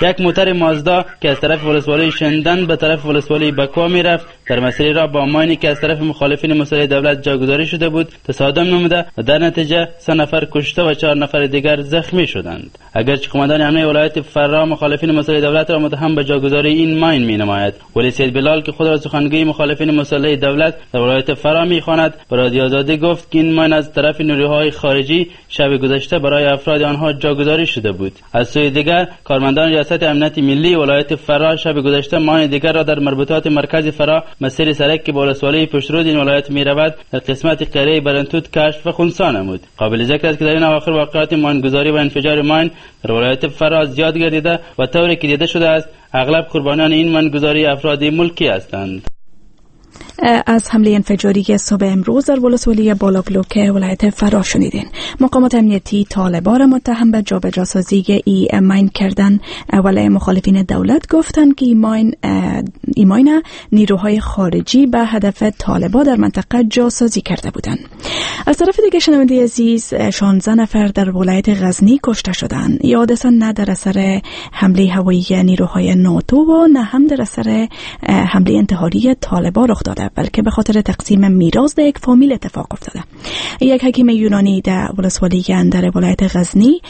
یک موتر مازدا که از طرف ولسوالی شندن به طرف ولسوالی بکوا میرفت در مسیر را با ماینی که از طرف مخالفین مسلح دولت جاگذاری شده بود تصادم نموده و در نتیجه 3 نفر کشته و 4 نفر دیگر زخمی شدند. اگرچه قماندان امنیه ولایت فراه مخالفین مسلح دولت را متهم به جاگذاری این ماین مینماید، ولی سید بلال که خود را سخنگوی مخالفین مسلح دولت در ولایت فراه میخواند به رادیو آزادی گفت که این ماین از طرف نیروهای خارجی شب گذشته برای افراد آنها جاگذاری شده بود. از سوی دیگر کارمندان ریاست امنیت ملی ولایت فراه شب گذشته ماین دیگر را در مربوطات مرکز فراه مسیر سرک که به ولسوالی پشترود این ولایت میرود در قسمت قریه برنتوت کشف و خنثی نمود. قابل ذکر است که در این اواخر واقعات ماینگذاری و انفجار ماین در ولایت فراه زیاد گردیده و طوری که دیده شده است اغلب قربانیان این ماینگذاری افراد ملکی هستند. از حمله انفجاری صبح امروز در ولسوالی بالابلوک ولایت فراه شنیدین. مقامات امنیتی طالبان را متهم به جابجاسازی ای ماین کردن، ولی مخالفین دولت گفتند که ای ماین نیروهای خارجی به هدف طالبان در منطقه جاسازی کرده بودند. از طرف دیگه شنونده عزیز، 16 نفر در ولایت غزنی کشته شدند. این حادثه نه در اثر حمله هوایی نیروهای ناتو و نه هم در اثر حمله انتحاری طالبان رخ داده، بلکه به خاطر تقسیم میراث در یک فامیل اتفاق افتاده. یک حکیم یونانی در ولسوالی اندر ولایت غزنی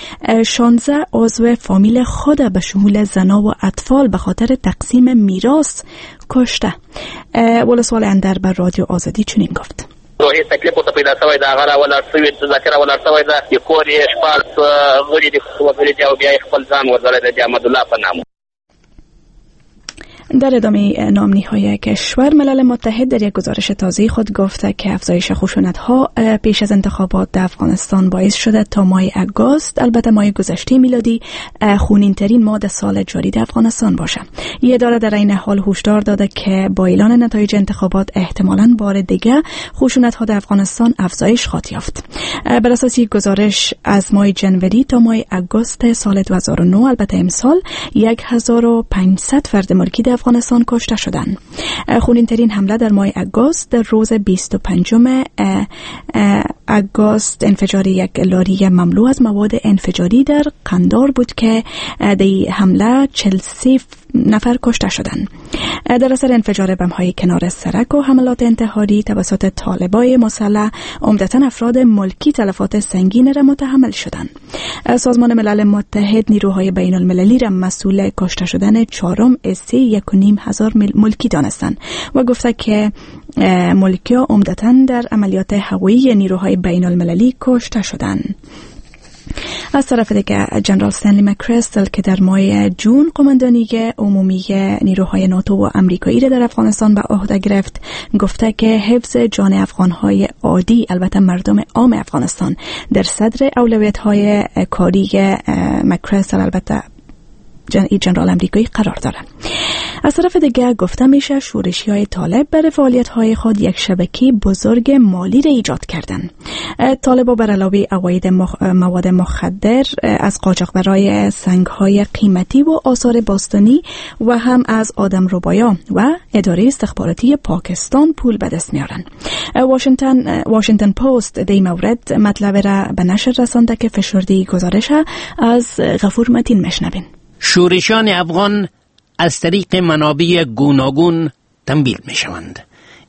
16 عضو فامیل خود به شمول زنا و اطفال به خاطر تقسیم میراث کشته. ولسوال اندر بر رادیو آزادی چنین گفت: روحي تکلیف ورته پیدا شوی ده، هغه راولاړ شوي، ذاکر راولاړ شوی ده، د کور یې 16 غړي دي وګړي دي او بیا یې خپل ځان وژلی دی د احمدالله په نامه. در ادامه ناامنی های کشور، ملل متحد در یک گزارش تازه خود گفته که افزایش خشونت ها پیش از انتخابات در افغانستان باعث شده تا ماه اگست، البته ماه گذشته میلادی، خونین ترین ماه سال جاری در افغانستان باشه. این اداره در این حال هشدار داده که با اعلان نتایج انتخابات احتمالاً بار دیگه خشونت ها در افغانستان افزایش خواهد یافت. بر اساس یک گزارش از ماه جنوری تا ماه اگست سال 2009، البته امسال، 1500 فرد ملکی در افغانستان کشته شدند. خونین ترین حمله در ماه اگست در روز 25 اگست انفجار یک لاری مملو از مواد انفجاری در قندار بود که در حمله 43 نفر کشته شدند. در اثر انفجار بم‌های کنار سرک و حملات انتحاری توسط طالبای مسلح، عمدتاً افراد ملکی تلفات سنگین را متحمل شدند. سازمان ملل متحد نیروهای بین المللی را مسئول کشته شدن 4.5 ملکی دانستند و گفته که ملکی ها عمدتاً در عملیات هوایی نیروهای بین المللی کشته شدند. از طرف دیگه جنرال استنلی مکریستل که در ماه جون قماندانی عمومی نیروهای ناتو و امریکایی را در افغانستان به عهده گرفت، گفته که حفظ جان افغانهای عادی، البته مردم عام افغانستان، در صدر اولویت‌های کاری مکریستل، البته جنرال امریکایی، قرار داره. از طرف دیگه گفته میشه شورشی های طالب برای فعالیت های خود یک شبکه بزرگ مالی را ایجاد کردن. طالب بر علاوه عواید مواد مخدر از قاچاق برای سنگ های قیمتی و آثار باستانی و هم از آدم ربایا و اداره استخباراتی پاکستان پول به دست میارن. واشنگتن پست در این مورد مطلب را به نشر رسانده که فشرده گزارش از غفور متین مشنوین. شورشیان افغان از طریق منابع گوناگون تمویل می شوند.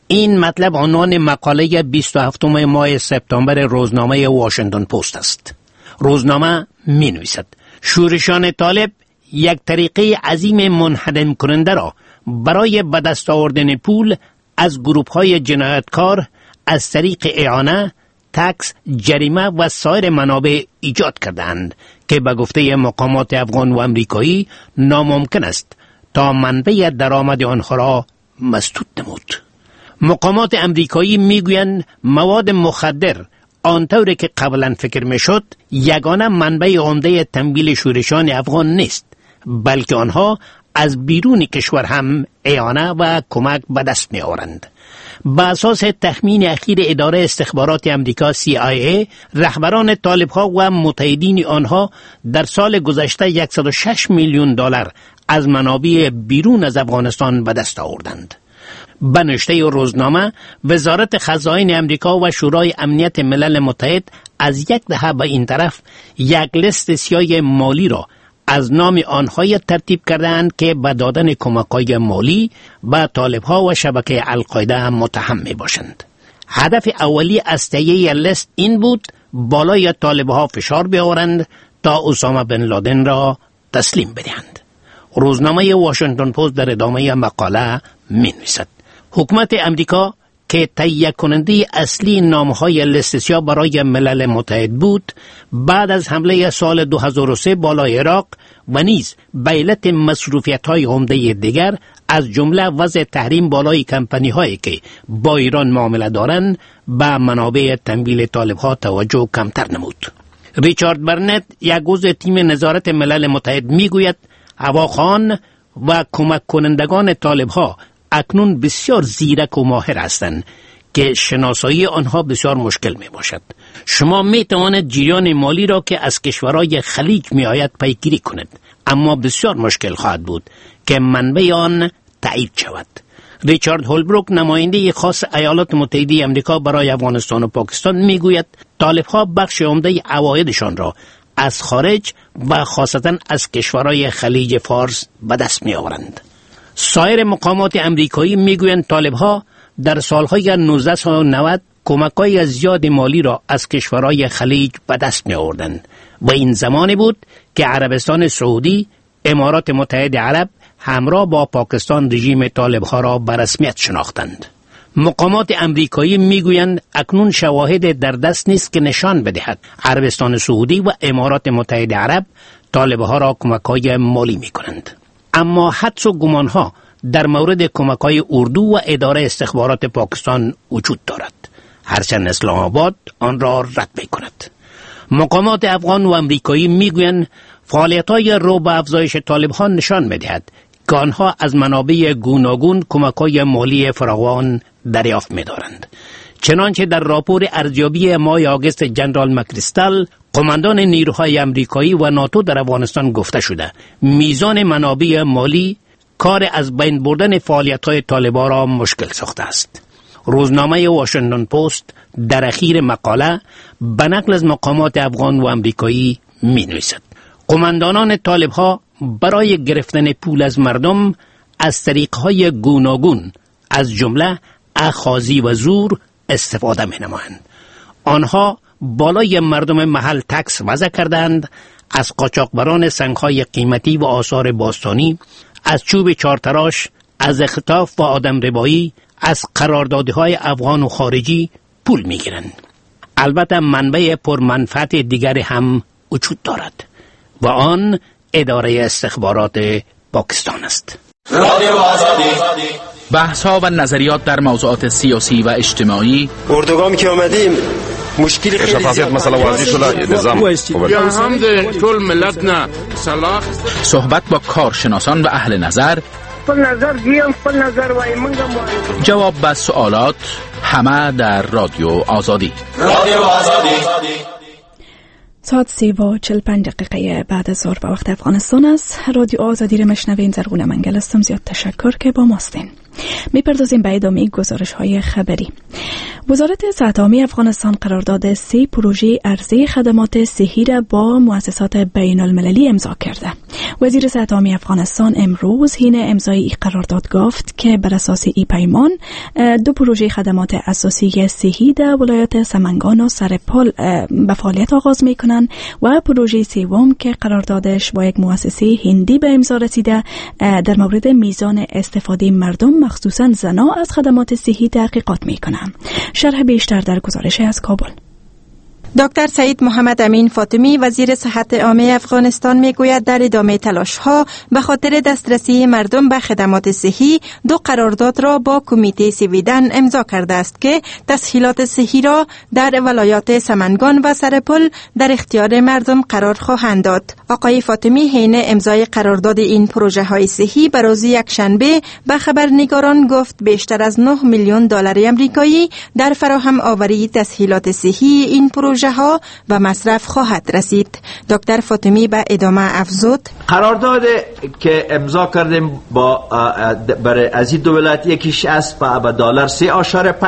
این مطلب عنوان مقاله 27 ماه سپتامبر روزنامه واشنگتن پست است. روزنامه می نویسد شورشیان طالب یک طریقه عظیم منهدم کننده را برای به دست آوردن پول از گروپ های جنایتکار از طریق اعانه، تکس، جریمه و سایر منابع ایجاد کردند که به گفته مقامات افغان و امریکایی ناممکن است تا منبع درآمد آنها را مسدود نمود. مقامات امریکایی میگویند مواد مخدر آنطور که قبلا فکر میشد یگانه منبع عمده تمویل شورشیان افغان نیست، بلکه آنها از بیرون کشور هم اعانه و کمک به دست می آورند. به اساس تخمین اخیر اداره استخبارات امریکا CIA، رهبران طالبها و متحدین آنها در سال گذشته 106 میلیون دلار از منابع بیرون از افغانستان به دست آوردند. به نوشته روزنامه، وزارت خزاین امریکا و شورای امنیت ملل متحد از یک دهه به این طرف یک لیست سیاه مالی را از نام آنهای ترتیب کردند که به دادن کمک‌های مالی به طالبها و شبکه القاعده متهم می باشند. هدف اولی از تهیه لیست این بود بالای طالبها فشار بیاورند تا اسامه بن لادن را تسلیم بدهند. روزنامه واشنگتن پست در ادامه مقاله می نویسد حکومت امریکا که تهیه کننده اصلی نامهای لیست سیاه برای ملل متحد بود، بعد از حمله سال 2003 بالای عراق و نیز به علت مصروفیت‌های عمده دیگر از جمله وضع تحریم بالای کمپانی هایی که با ایران معامله دارند، به منابع تمویل طالبها توجه کمتر نمود. ریچارد برنت، یک عضو تیم نظارت ملل متحد، میگوید هواخوان و کمک کنندگان طالبها اکنون بسیار زیرک و ماهر هستند که شناسایی آنها بسیار مشکل می باشد. شما می توانید جریان مالی را که از کشورهای خلیج می آید پیگیری کنید، اما بسیار مشکل خواهد بود که منبع آن تایید شود. ریچارد هولبروک، نماینده خاص ایالات متحده امریکا برای افغانستان و پاکستان، میگوید طالبها بخش عمده عوایدشان را از خارج و خاصتا از کشورهای خلیج فارس به دست می آورند. سایر مقامات امریکایی میگویند طالبها در سالهای 1990 کمک‌های زیاد مالی را از کشورهای خلیج به دست می آوردند و این زمانی بود که عربستان سعودی، امارات متحده عرب همراه با پاکستان رژیم طالبها را به رسمیت شناختند. مقامات امریکایی میگویند اکنون شواهد در دست نیست که نشان بدهد عربستان سعودی و امارات متحده عرب طالبها را کمک‌های مالی میکنند. اما حدس و گمانها در مورد کمک‌های اردو و اداره استخبارات پاکستان وجود دارد، هرچند اسلام آباد آن را رد میکند. مقامات افغان و امریکایی میگویند فعالیت‌های رو به افزایش طالبها نشان میدهد که آنها از منابع گوناگون کمک‌های مالی فراوان دریافت می‌دارند. چنانچه در راپور ارزیابی ماه آگوست جنرال مکریستال، قماندان نیروهای امریکایی و ناتو در افغانستان گفته شده میزان منابع مالی کار از بین بردن فعالیت‌های طالبان را مشکل ساخته است. روزنامه واشنگتن پست در اخیر مقاله به نقل از مقامات افغان و امریکایی می‌نویسد قماندانان طالب‌ها برای گرفتن پول از مردم از طریق‌های گوناگون از جمله اخاذی و زور استفاده می‌نمایند. آنها بالای مردم محل تکس وضع کردند، از قاچاقبران سنگ‌های قیمتی و آثار باستانی، از چوب چارتراش، از اختطاف و آدم ربایی، از قراردادهای افغان و خارجی پول می‌گیرند. البته منبع پرمنفعت دیگر هم وجود دارد و آن اداره استخبارات پاکستان است. رادیو آزادی، بحث ها و نظریات در موضوعات سیاسی و اجتماعی. اردوگاه که آمدیم مشکل خیلی شفافیت مسئله واضح شده، نظام یا هم ده طول ملت نه صلاح. صحبت با کارشناسان و اهل نظر، خپل نظر دیم، خپل نظر وای منګم، جواب به سوالات، همه در رادیو آزادی. رادیو آزادی. ساعت 3:45 بعد از ظهر به وقت افغانستان است. رادیو آزادی را مشنوین. زرغونه منگل هستم. زیاد تشکر که با ماستین. میپردازیم به ادامه گزارش های خبری. وزارت صحت عامه افغانستان قرارداد 3 پروژه عرضه خدمات صحی را با مؤسسات بین المللی امضا کرده. وزیر صحت عامه افغانستان امروز حین امضای این قرارداد گفت که بر اساس این پیمان 2 پروژه خدمات اساسی صحی در ولایت سمنگان و سرپل به فعالیت آغاز میکنند و پروژه سوم که قراردادش با یک مؤسسه هندی به امضا رسیده در مورد میزان استفاده مردم مخصوصا زنان از خدمات صحی تحقیقات میکنند. شرح بیشتر در گزارش از کابل. دکتر سعید محمد امین فاطمی، وزیر صحت عامه افغانستان، میگوید در ادامه تلاش‌ها به خاطر دسترسی مردم به خدمات صحی 2 قرارداد را با کمیته سویدن امضا کرده است که تسهیلات صحی را در ولایات سمنگان و سرپل در اختیار مردم قرار خواهند داد. آقای فاطمی حین امضای قرارداد این پروژه های صحی به روز یکشنبه به خبرنگاران گفت بیشتر از 9 میلیون دلار آمریکایی در فراهم آوری تسهیلات صحی این پروژه ها و مصرف خواهد رسید. دکتر فاطمی به ادامه افزود: قرارداد که امضا کردیم با برای از این دو ولایت، یکیش است با دلار 3.5،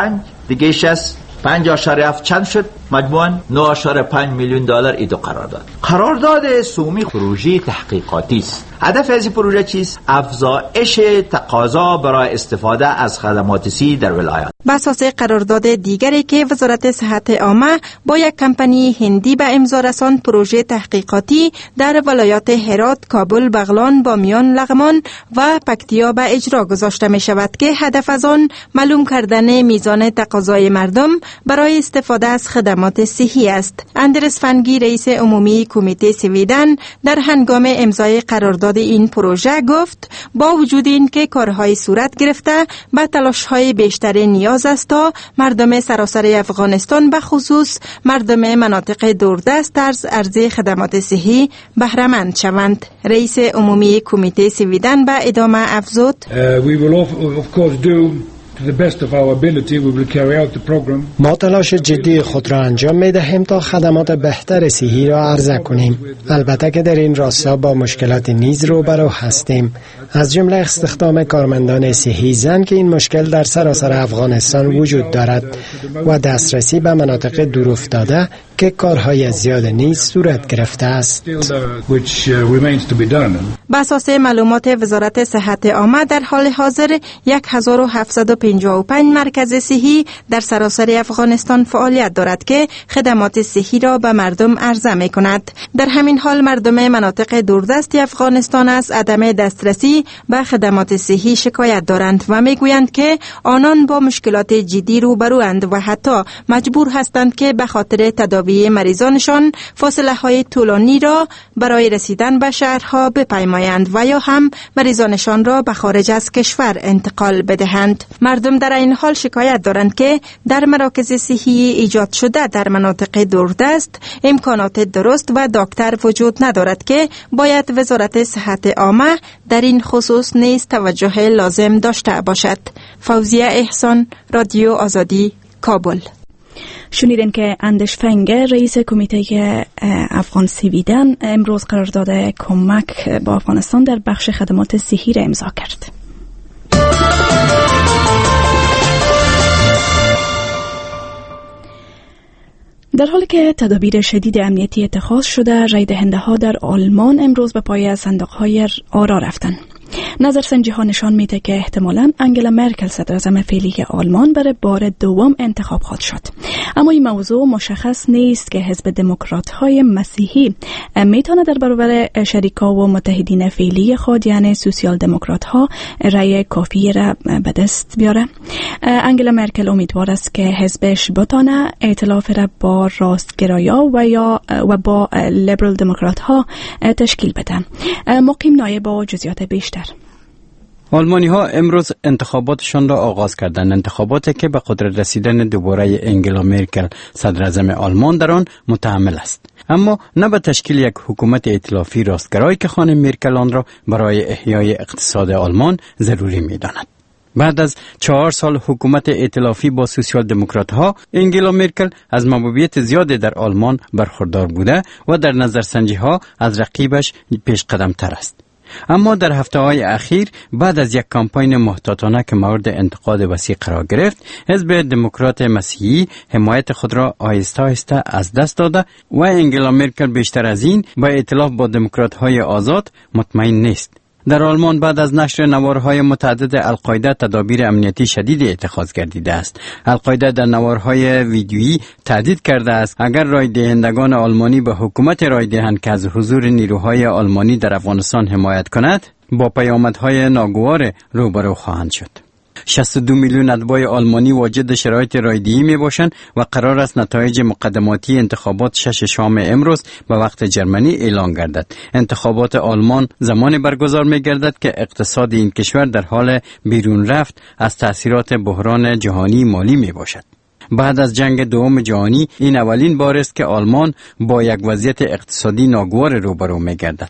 دیگهش است 5.7، چند شد؟ مجموعاً 9.5 میلیون دلار. ای دو قرارداد. قرارداد سومی پروژه تحقیقاتی است. هدف از این پروژه چیست؟ افزایش تقاضا برای استفاده از خدمات سی در ولایات. به اساس قرارداد دیگری که وزارت صحت عامه با یک کمپانی هندی به امضا رساند، پروژه تحقیقاتی در ولایات هرات، کابل، بغلان، بامیان، لغمان و پکتیا به اجرا گذاشته می شود که هدف از آن معلوم کردن میزان تقاضای مردم برای استفاده از خدمات خدمات صحی است. اندرس فنگی، رئیس عمومی کمیته سویدن، در هنگام امضای قرارداد این پروژه گفت با وجود اینکه کارهای صورت گرفته، به تلاش‌های بیشتر نیاز است تا مردم سراسر افغانستان، به خصوص مردم مناطق دوردست، از عرضه خدمات صحی بهره‌مند شوند. رئیس عمومی کمیته سویدن به ادامه افزود: ما تلاش جدی خود را انجام می دهیم تا خدمات بهتر صحی را عرضه کنیم. البته که در این راستا با مشکلات نیز روبرو هستیم، از جمله استخدام کارمندان صحی زن که این مشکل در سراسر افغانستان وجود دارد و دسترسی به مناطق دورافتاده که کارهای زیاد نیز صورت گرفته است. به اساس معلومات وزارت صحت عامه، در حال حاضر 1755 مرکز صحی در سراسر افغانستان فعالیت دارد که خدمات صحی را به مردم عرضه می کند. در همین حال مردم مناطق دوردست افغانستان از عدم دسترسی به خدمات صحی شکایت دارند و می گویند که آنان با مشکلات جدی روبروند و حتی مجبور هستند که به خاطر تداوی مریضانشان فاصله های طولانی را برای رسیدن به شهرها بپیمایند و یا هم مریضانشان را به خارج از کشور انتقال بدهند. مردم در این حال شکایت دارند که در مراکز صحی ایجاد شده در مناطق دوردست امکانات درست و دکتر وجود ندارد که باید وزارت صحت عامه در این خصوص نیز توجه لازم داشته باشد. فوزیه احسان، رادیو آزادی، کابل. شنیدین که اندش فنگه، رئیس کمیته افغان سویدن، امروز قرارداد کمک با افغانستان در بخش خدمات صحی را امضا کرد. در حالی که تدابیر شدید امنیتی اتخاذ شده، رای دهنده ها در آلمان امروز به پای صندوق های آرا رفتند. نظرسنجی ها نشان میده که احتمالاً انگلا مرکل، صدراعظم فعلی آلمان، برای بار دوم انتخاب خواهد شد. اما این موضوع مشخص نیست که حزب دموکرات های مسیحی میتونه در برابر شریکا و متحدین فعلی خود، یعنی سوسیال دموکرات ها، رأی کافی را به دست بیاره. انگلا مرکل امیدوار است که حزبش بتانه ائتلاف را با راستگرایا و با لیبرال دموکرات ها تشکیل بده. مقیم نایب با جزئیات بیشتر. آلمانی ها امروز انتخاباتشان را آغاز کردند، انتخاباتی که به قدرت رسیدن دوباره انگلا مرکل، صدراعظم آلمان، در آن متحمل است، اما نه به تشکیل یک حکومت ائتلافی راستگرایی که خانم مرکل آن را برای احیای اقتصاد آلمان ضروری می‌داند. بعد از 4 سال حکومت ائتلافی با سوسیال دموکرات ها، انگلا مرکل از محبوبیت زیاد در آلمان برخوردار بوده و در نظرسنجی ها از رقیبش پیش قدم تر است. اما در هفته های اخیر، بعد از یک کمپاین محتاطانه که مورد انتقاد وسیع قرار گرفت، حزب دموکرات مسیحی حمایت خود را آهسته آهسته از دست داده و انگلا مرکل بیشتر از این با ائتلاف با دموکرات های آزاد مطمئن نیست. در آلمان بعد از نشر نوارهای متعدد القاعده، تدابیر امنیتی شدید اتخاذ گردیده است. القاعده در نوارهای ویدیویی تهدید کرده است اگر رای دهندگان آلمانی به حکومت رای دهند که از حضور نیروهای آلمانی در افغانستان حمایت کند، با پیامدهای ناگوار روبرو خواهند شد. 62 میلیون اتباع آلمانی واجد شرایط رایدهی می باشند و قرار است نتایج مقدماتی انتخابات 6 شام امروز به وقت جرمنی اعلان گردد. انتخابات آلمان زمان برگزار می گردد که اقتصاد این کشور در حال بیرون رفت از تاثیرات بحران جهانی مالی می باشد. بعد از جنگ دوم جهانی این اولین بار است که آلمان با یک وضعیت اقتصادی ناگوار روبرو می گردد.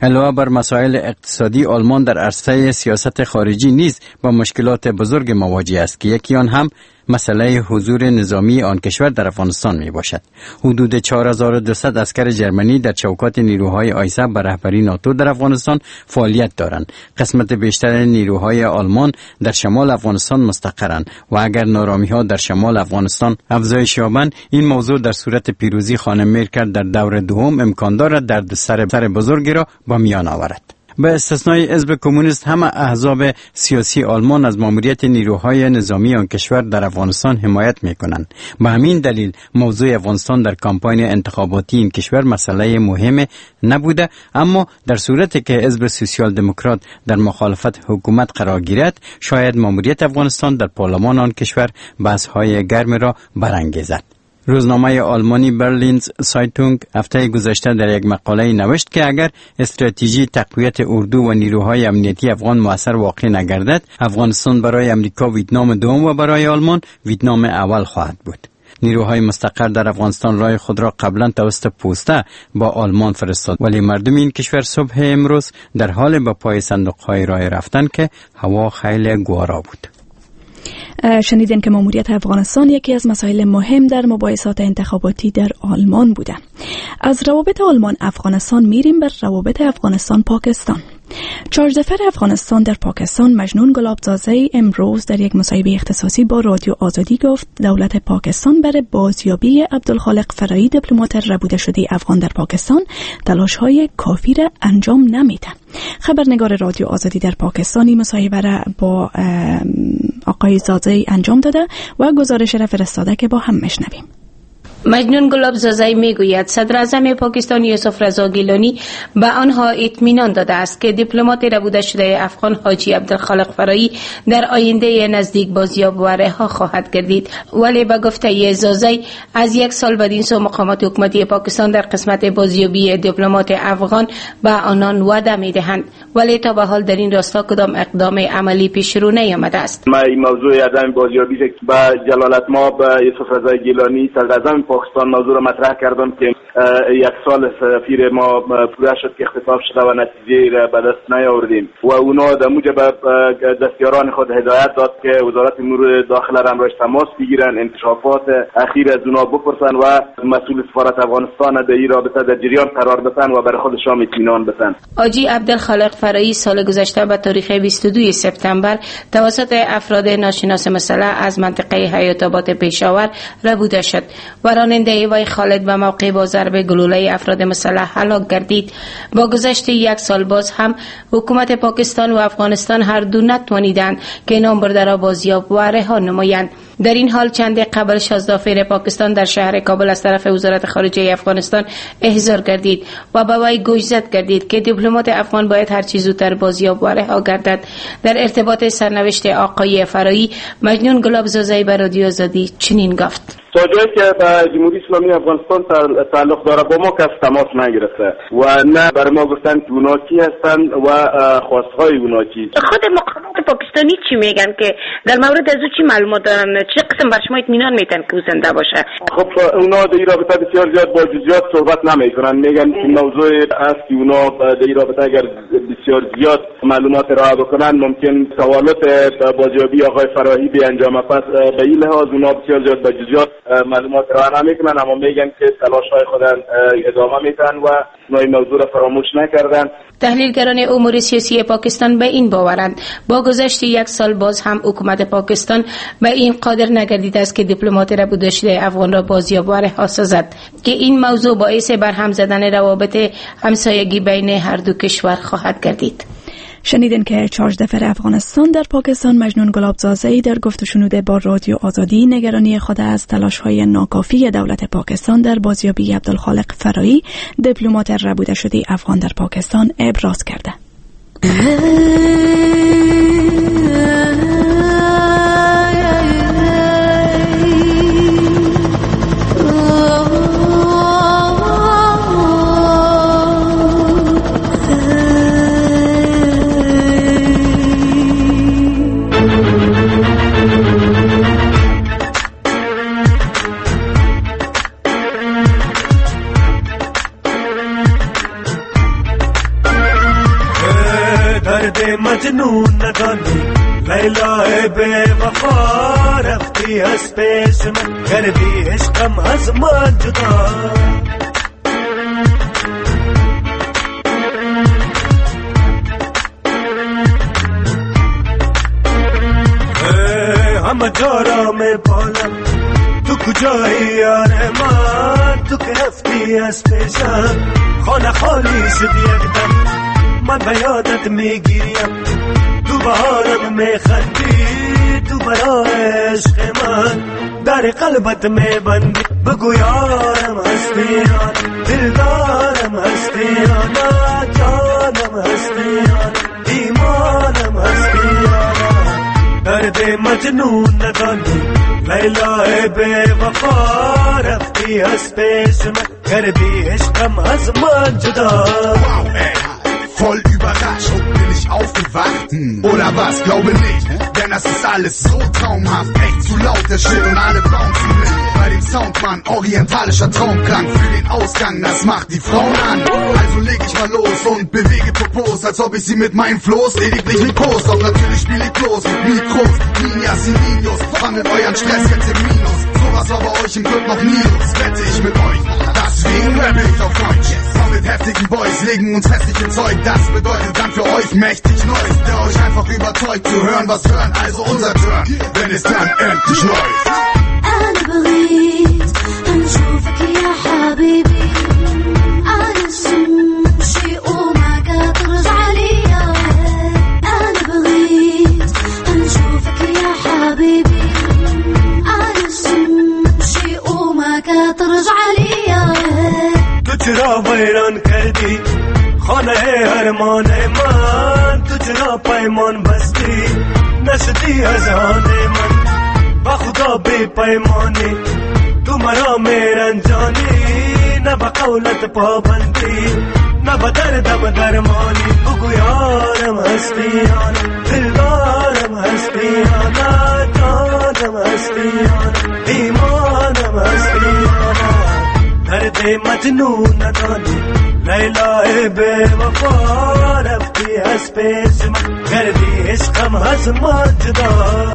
علاوه بر مسائل اقتصادی، آلمان در عرصه سیاست خارجی نیز با مشکلات بزرگ مواجه است که یکی آن هم مسئله حضور نظامی آن کشور در افغانستان می باشد. حدود 4200 عسکر جرمنی در چوکات نیروهای آیساف به رهبری ناتو در افغانستان فعالیت دارند. قسمت بیشتر نیروهای آلمان در شمال افغانستان مستقرند و اگر نارامی ها در شمال افغانستان افزایش یابند، این موضوع در صورت پیروزی خانم مرکل در دور دوم امکان دارد دردسر بزرگی را با میان آورد. به استثنای حزب کمونیست، همه احزاب سیاسی آلمان از ماموریت نیروهای نظامی آن کشور در افغانستان حمایت میکنند. به همین دلیل موضوع افغانستان در کمپاین انتخاباتی این کشور مسئله مهم نبوده، اما در صورتی که حزب سوسیال دموکرات در مخالفت حکومت قرار گیرد، شاید ماموریت افغانستان در پارلمان آن کشور بحث‌های گرم را برانگیزد. روزنامه آلمانی برلینز سایتونگ هفته گذشته در یک مقاله نوشت که اگر استراتژی تقویت اردو و نیروهای امنیتی افغان موثر واقع نگردد، افغانستان برای امریکا ویتنام دوم و برای آلمان ویتنام اول خواهد بود. نیروهای مستقر در افغانستان رای خود را قبلا توسط پوسته با آلمان فرستاد، ولی مردم این کشور صبح امروز در حال به پای صندوق‌های رای رفتن که هوا خیلی گوارا بود. شنیدین که ماموریت افغانستان یکی از مسائل مهم در مباحثات انتخاباتی در آلمان بوده. از روابط آلمان افغانستان میریم بر روابط افغانستان پاکستان. شارژدافر افغانستان در پاکستان مجنون گلابزاده امروز در یک مصاحبه اختصاصی با رادیو آزادی گفت دولت پاکستان برای بازیابی عبدالخالق فرایی دیپلمات ربوده شده افغان در پاکستان تلاش‌های کافی را انجام نمیده. خبرنگار رادیو آزادی در پاکستان این مصاحبه را با آقای زاده انجام داده و گزارش را فرستاده که با هم میشنویم. مجنون گلاب زازی میگوید صدر اعظم پاکستان یوسف رضا گیلانی به آنها اطمینان داده است که دیپلمات ربوده شده افغان حاجی عبدالخالق فرایی در آینده نزدیک بازیاب و رها خواهد گردید. ولی به گفته زازی از یک سال بدین سو مقامات حکومتی پاکستان در قسمت بازیابی دیپلمات افغان به آنان وعده میدهند، ولی تا به حال در این راستا کدام اقدام عملی پیش رو نیامده است. ما این موضوع عدم بازیابی به جلالت ما به یوسف رضا گیلانی صدر اعظم پاکستان موضوع را مطرح کردم که یک سال سفیر ما پوره شد که اختطاف شده و نتیجه را به دست نیاوردیم و اونا در موجب دستیاران خود هدایت داد که وزارت امور داخله را همراهش تماس بگیرن، انکشافات اخیر از اونا بپرسن و مسئول سفارت افغانستان در این رابطه در جریان قرار بدن و برای خودشان اطمینان بدن. حاجی عبدالخالق فرایی سال گذشته به تاریخ 22 سپتامبر توسط افراد ناشناس مسلح از منطقه حیات آباد پشاور ربوده شد و راننده وی خالد به موقع با ضرب گلوله افراد مسلح هلاک گردید. با گذشت یک سال باز هم حکومت پاکستان و افغانستان هر دو نتوانیدند که نام برده را بازیاب و رها نمایند. در این حال چند قبل شازدافیر پاکستان در شهر کابل از طرف وزارت خارجه افغانستان احضار گردید و به وی گوشزد گردید که دیپلمات افغان باید هر چه زودتر بازیاب و رها گردد. در ارتباط سرنوشت آقای فرایی مجنون گلاب زازی به رادیو آزادی چنین گفت: تا جایی که به جمهوری اسلامی افغانستان تعلق داره با ما کس تماس نگرفته و نه بر ما گفتن که اونا کی هستند و خواستهای اونا چی. خود مقامات پاکستانی چی میگن که در مورد از او چی معلومات دارن؟ چه قسم بر شما اطمینان میتن که او زنده باشه؟ خب اونا در این رابطه بسیار زیاد با جزئیات صحبت نمیکنن، میگن این موضوع است که اونا در این رابطه اگر بسیار زیاد معلومات ارائه بکنن ممکن سوالات بازیابی آقای فراهی به انجام. پس به این لحاظ اونا بسیار زیاد با جزئیات معلومات ارائه نمیکنن، اما میگن که تلاش‌های خود ادامه میدن و این موضوع را فراموش نکردن. تحلیلگران امور سیاسی پاکستان به این باورند با گذشت یک سال باز هم حکومت پاکستان به این قادر نگردیده است که دیپلمات ربوده شده افغان را بازیاب و رها سازد که این موضوع باعث برهم زدن روابط همسایگی بین هر دو کشور خواهد گردید. شنیدین که شارژدافر افغانستان در پاکستان مجنون گلابزاده در گفت و شنود با رادیو آزادی نگرانی خود از تلاش‌های ناکافی دولت پاکستان در بازیابی عبدالخالق فرایی دیپلمات ربوده شده افغان در پاکستان ابراز کرده. مجنون ندانی لیلا بے وفا رفتی از پیش من کردی عشقم از من جدا. هم جارا میں بالا تو کجایی یار من تو که رفتی از پیشم خانه خالی شد یک دم من به یادت میگیریم تو بهارم میخندی تو برای عشق من در قلبت میبندی بگو یارم هستی یا دلدارم هستی یا نه جانم هستی یا ایمانم هستی یا درد مجنون ندانی لیلا بے وفا. رفتی از پیش من کردی عشقم از من جدا. Voll überrascht bin ich aufgewacht, oder was? Glaube nicht, denn das ist alles so traumhaft. Echt zu laut, der Shit und alle bouncen mit. Bei dem Soundmann, orientalischer Traumklang für den Ausgang, das macht die Frauen an. Also leg ich mal los und bewege Popos, als ob ich sie mit meinem Floß lediglich liebkos. Doch natürlich spiel ich bloß mit Mikros, Niñas y Niños, wandelt euren Stress jetzt im Minus. Sowas war bei euch im Club noch nie los, wette ich mit euch. Deswegen rappe ich auf Deutsch. Komm mit heftigen Boys, legen uns hässliche Zeug. Das bedeutet dann für euch mächtig Neues, der euch einfach überzeugt zu hören, was hören. Also unser Turn, wenn es dann endlich läuft. أنا بغيت نشوفك يا حبيبي علاش نمشي وما كترجع ليا. أنا بغيت نشوفك يا حبيبي علاش نمشي وما كترجع ليا. تو چرا ویران کردی خانه ارمان من، تو چرا پیمان بستی نشدی از آن من. با خدا بی پیمانی تو مرا میرنجانی، نه با قولت پابندی نه با دردم درمانی. بگو یارم هستی یا نه، دلدارم هستی یا نه، جانم هستی یا نه، ایمانم هستی یا نه. درد مجنون ندانی لیلای بی وفا، رفتی از پیش من کردی عشقم از من جدا.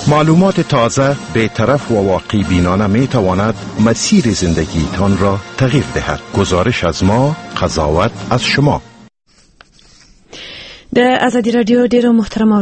معلومات تازه، بی‌طرف و واقع بینانه می تواند مسیر زندگیتان را تغییر دهد. گزارش از ما، قضاوت از شما. د ازادي رادیو ډیرو محترم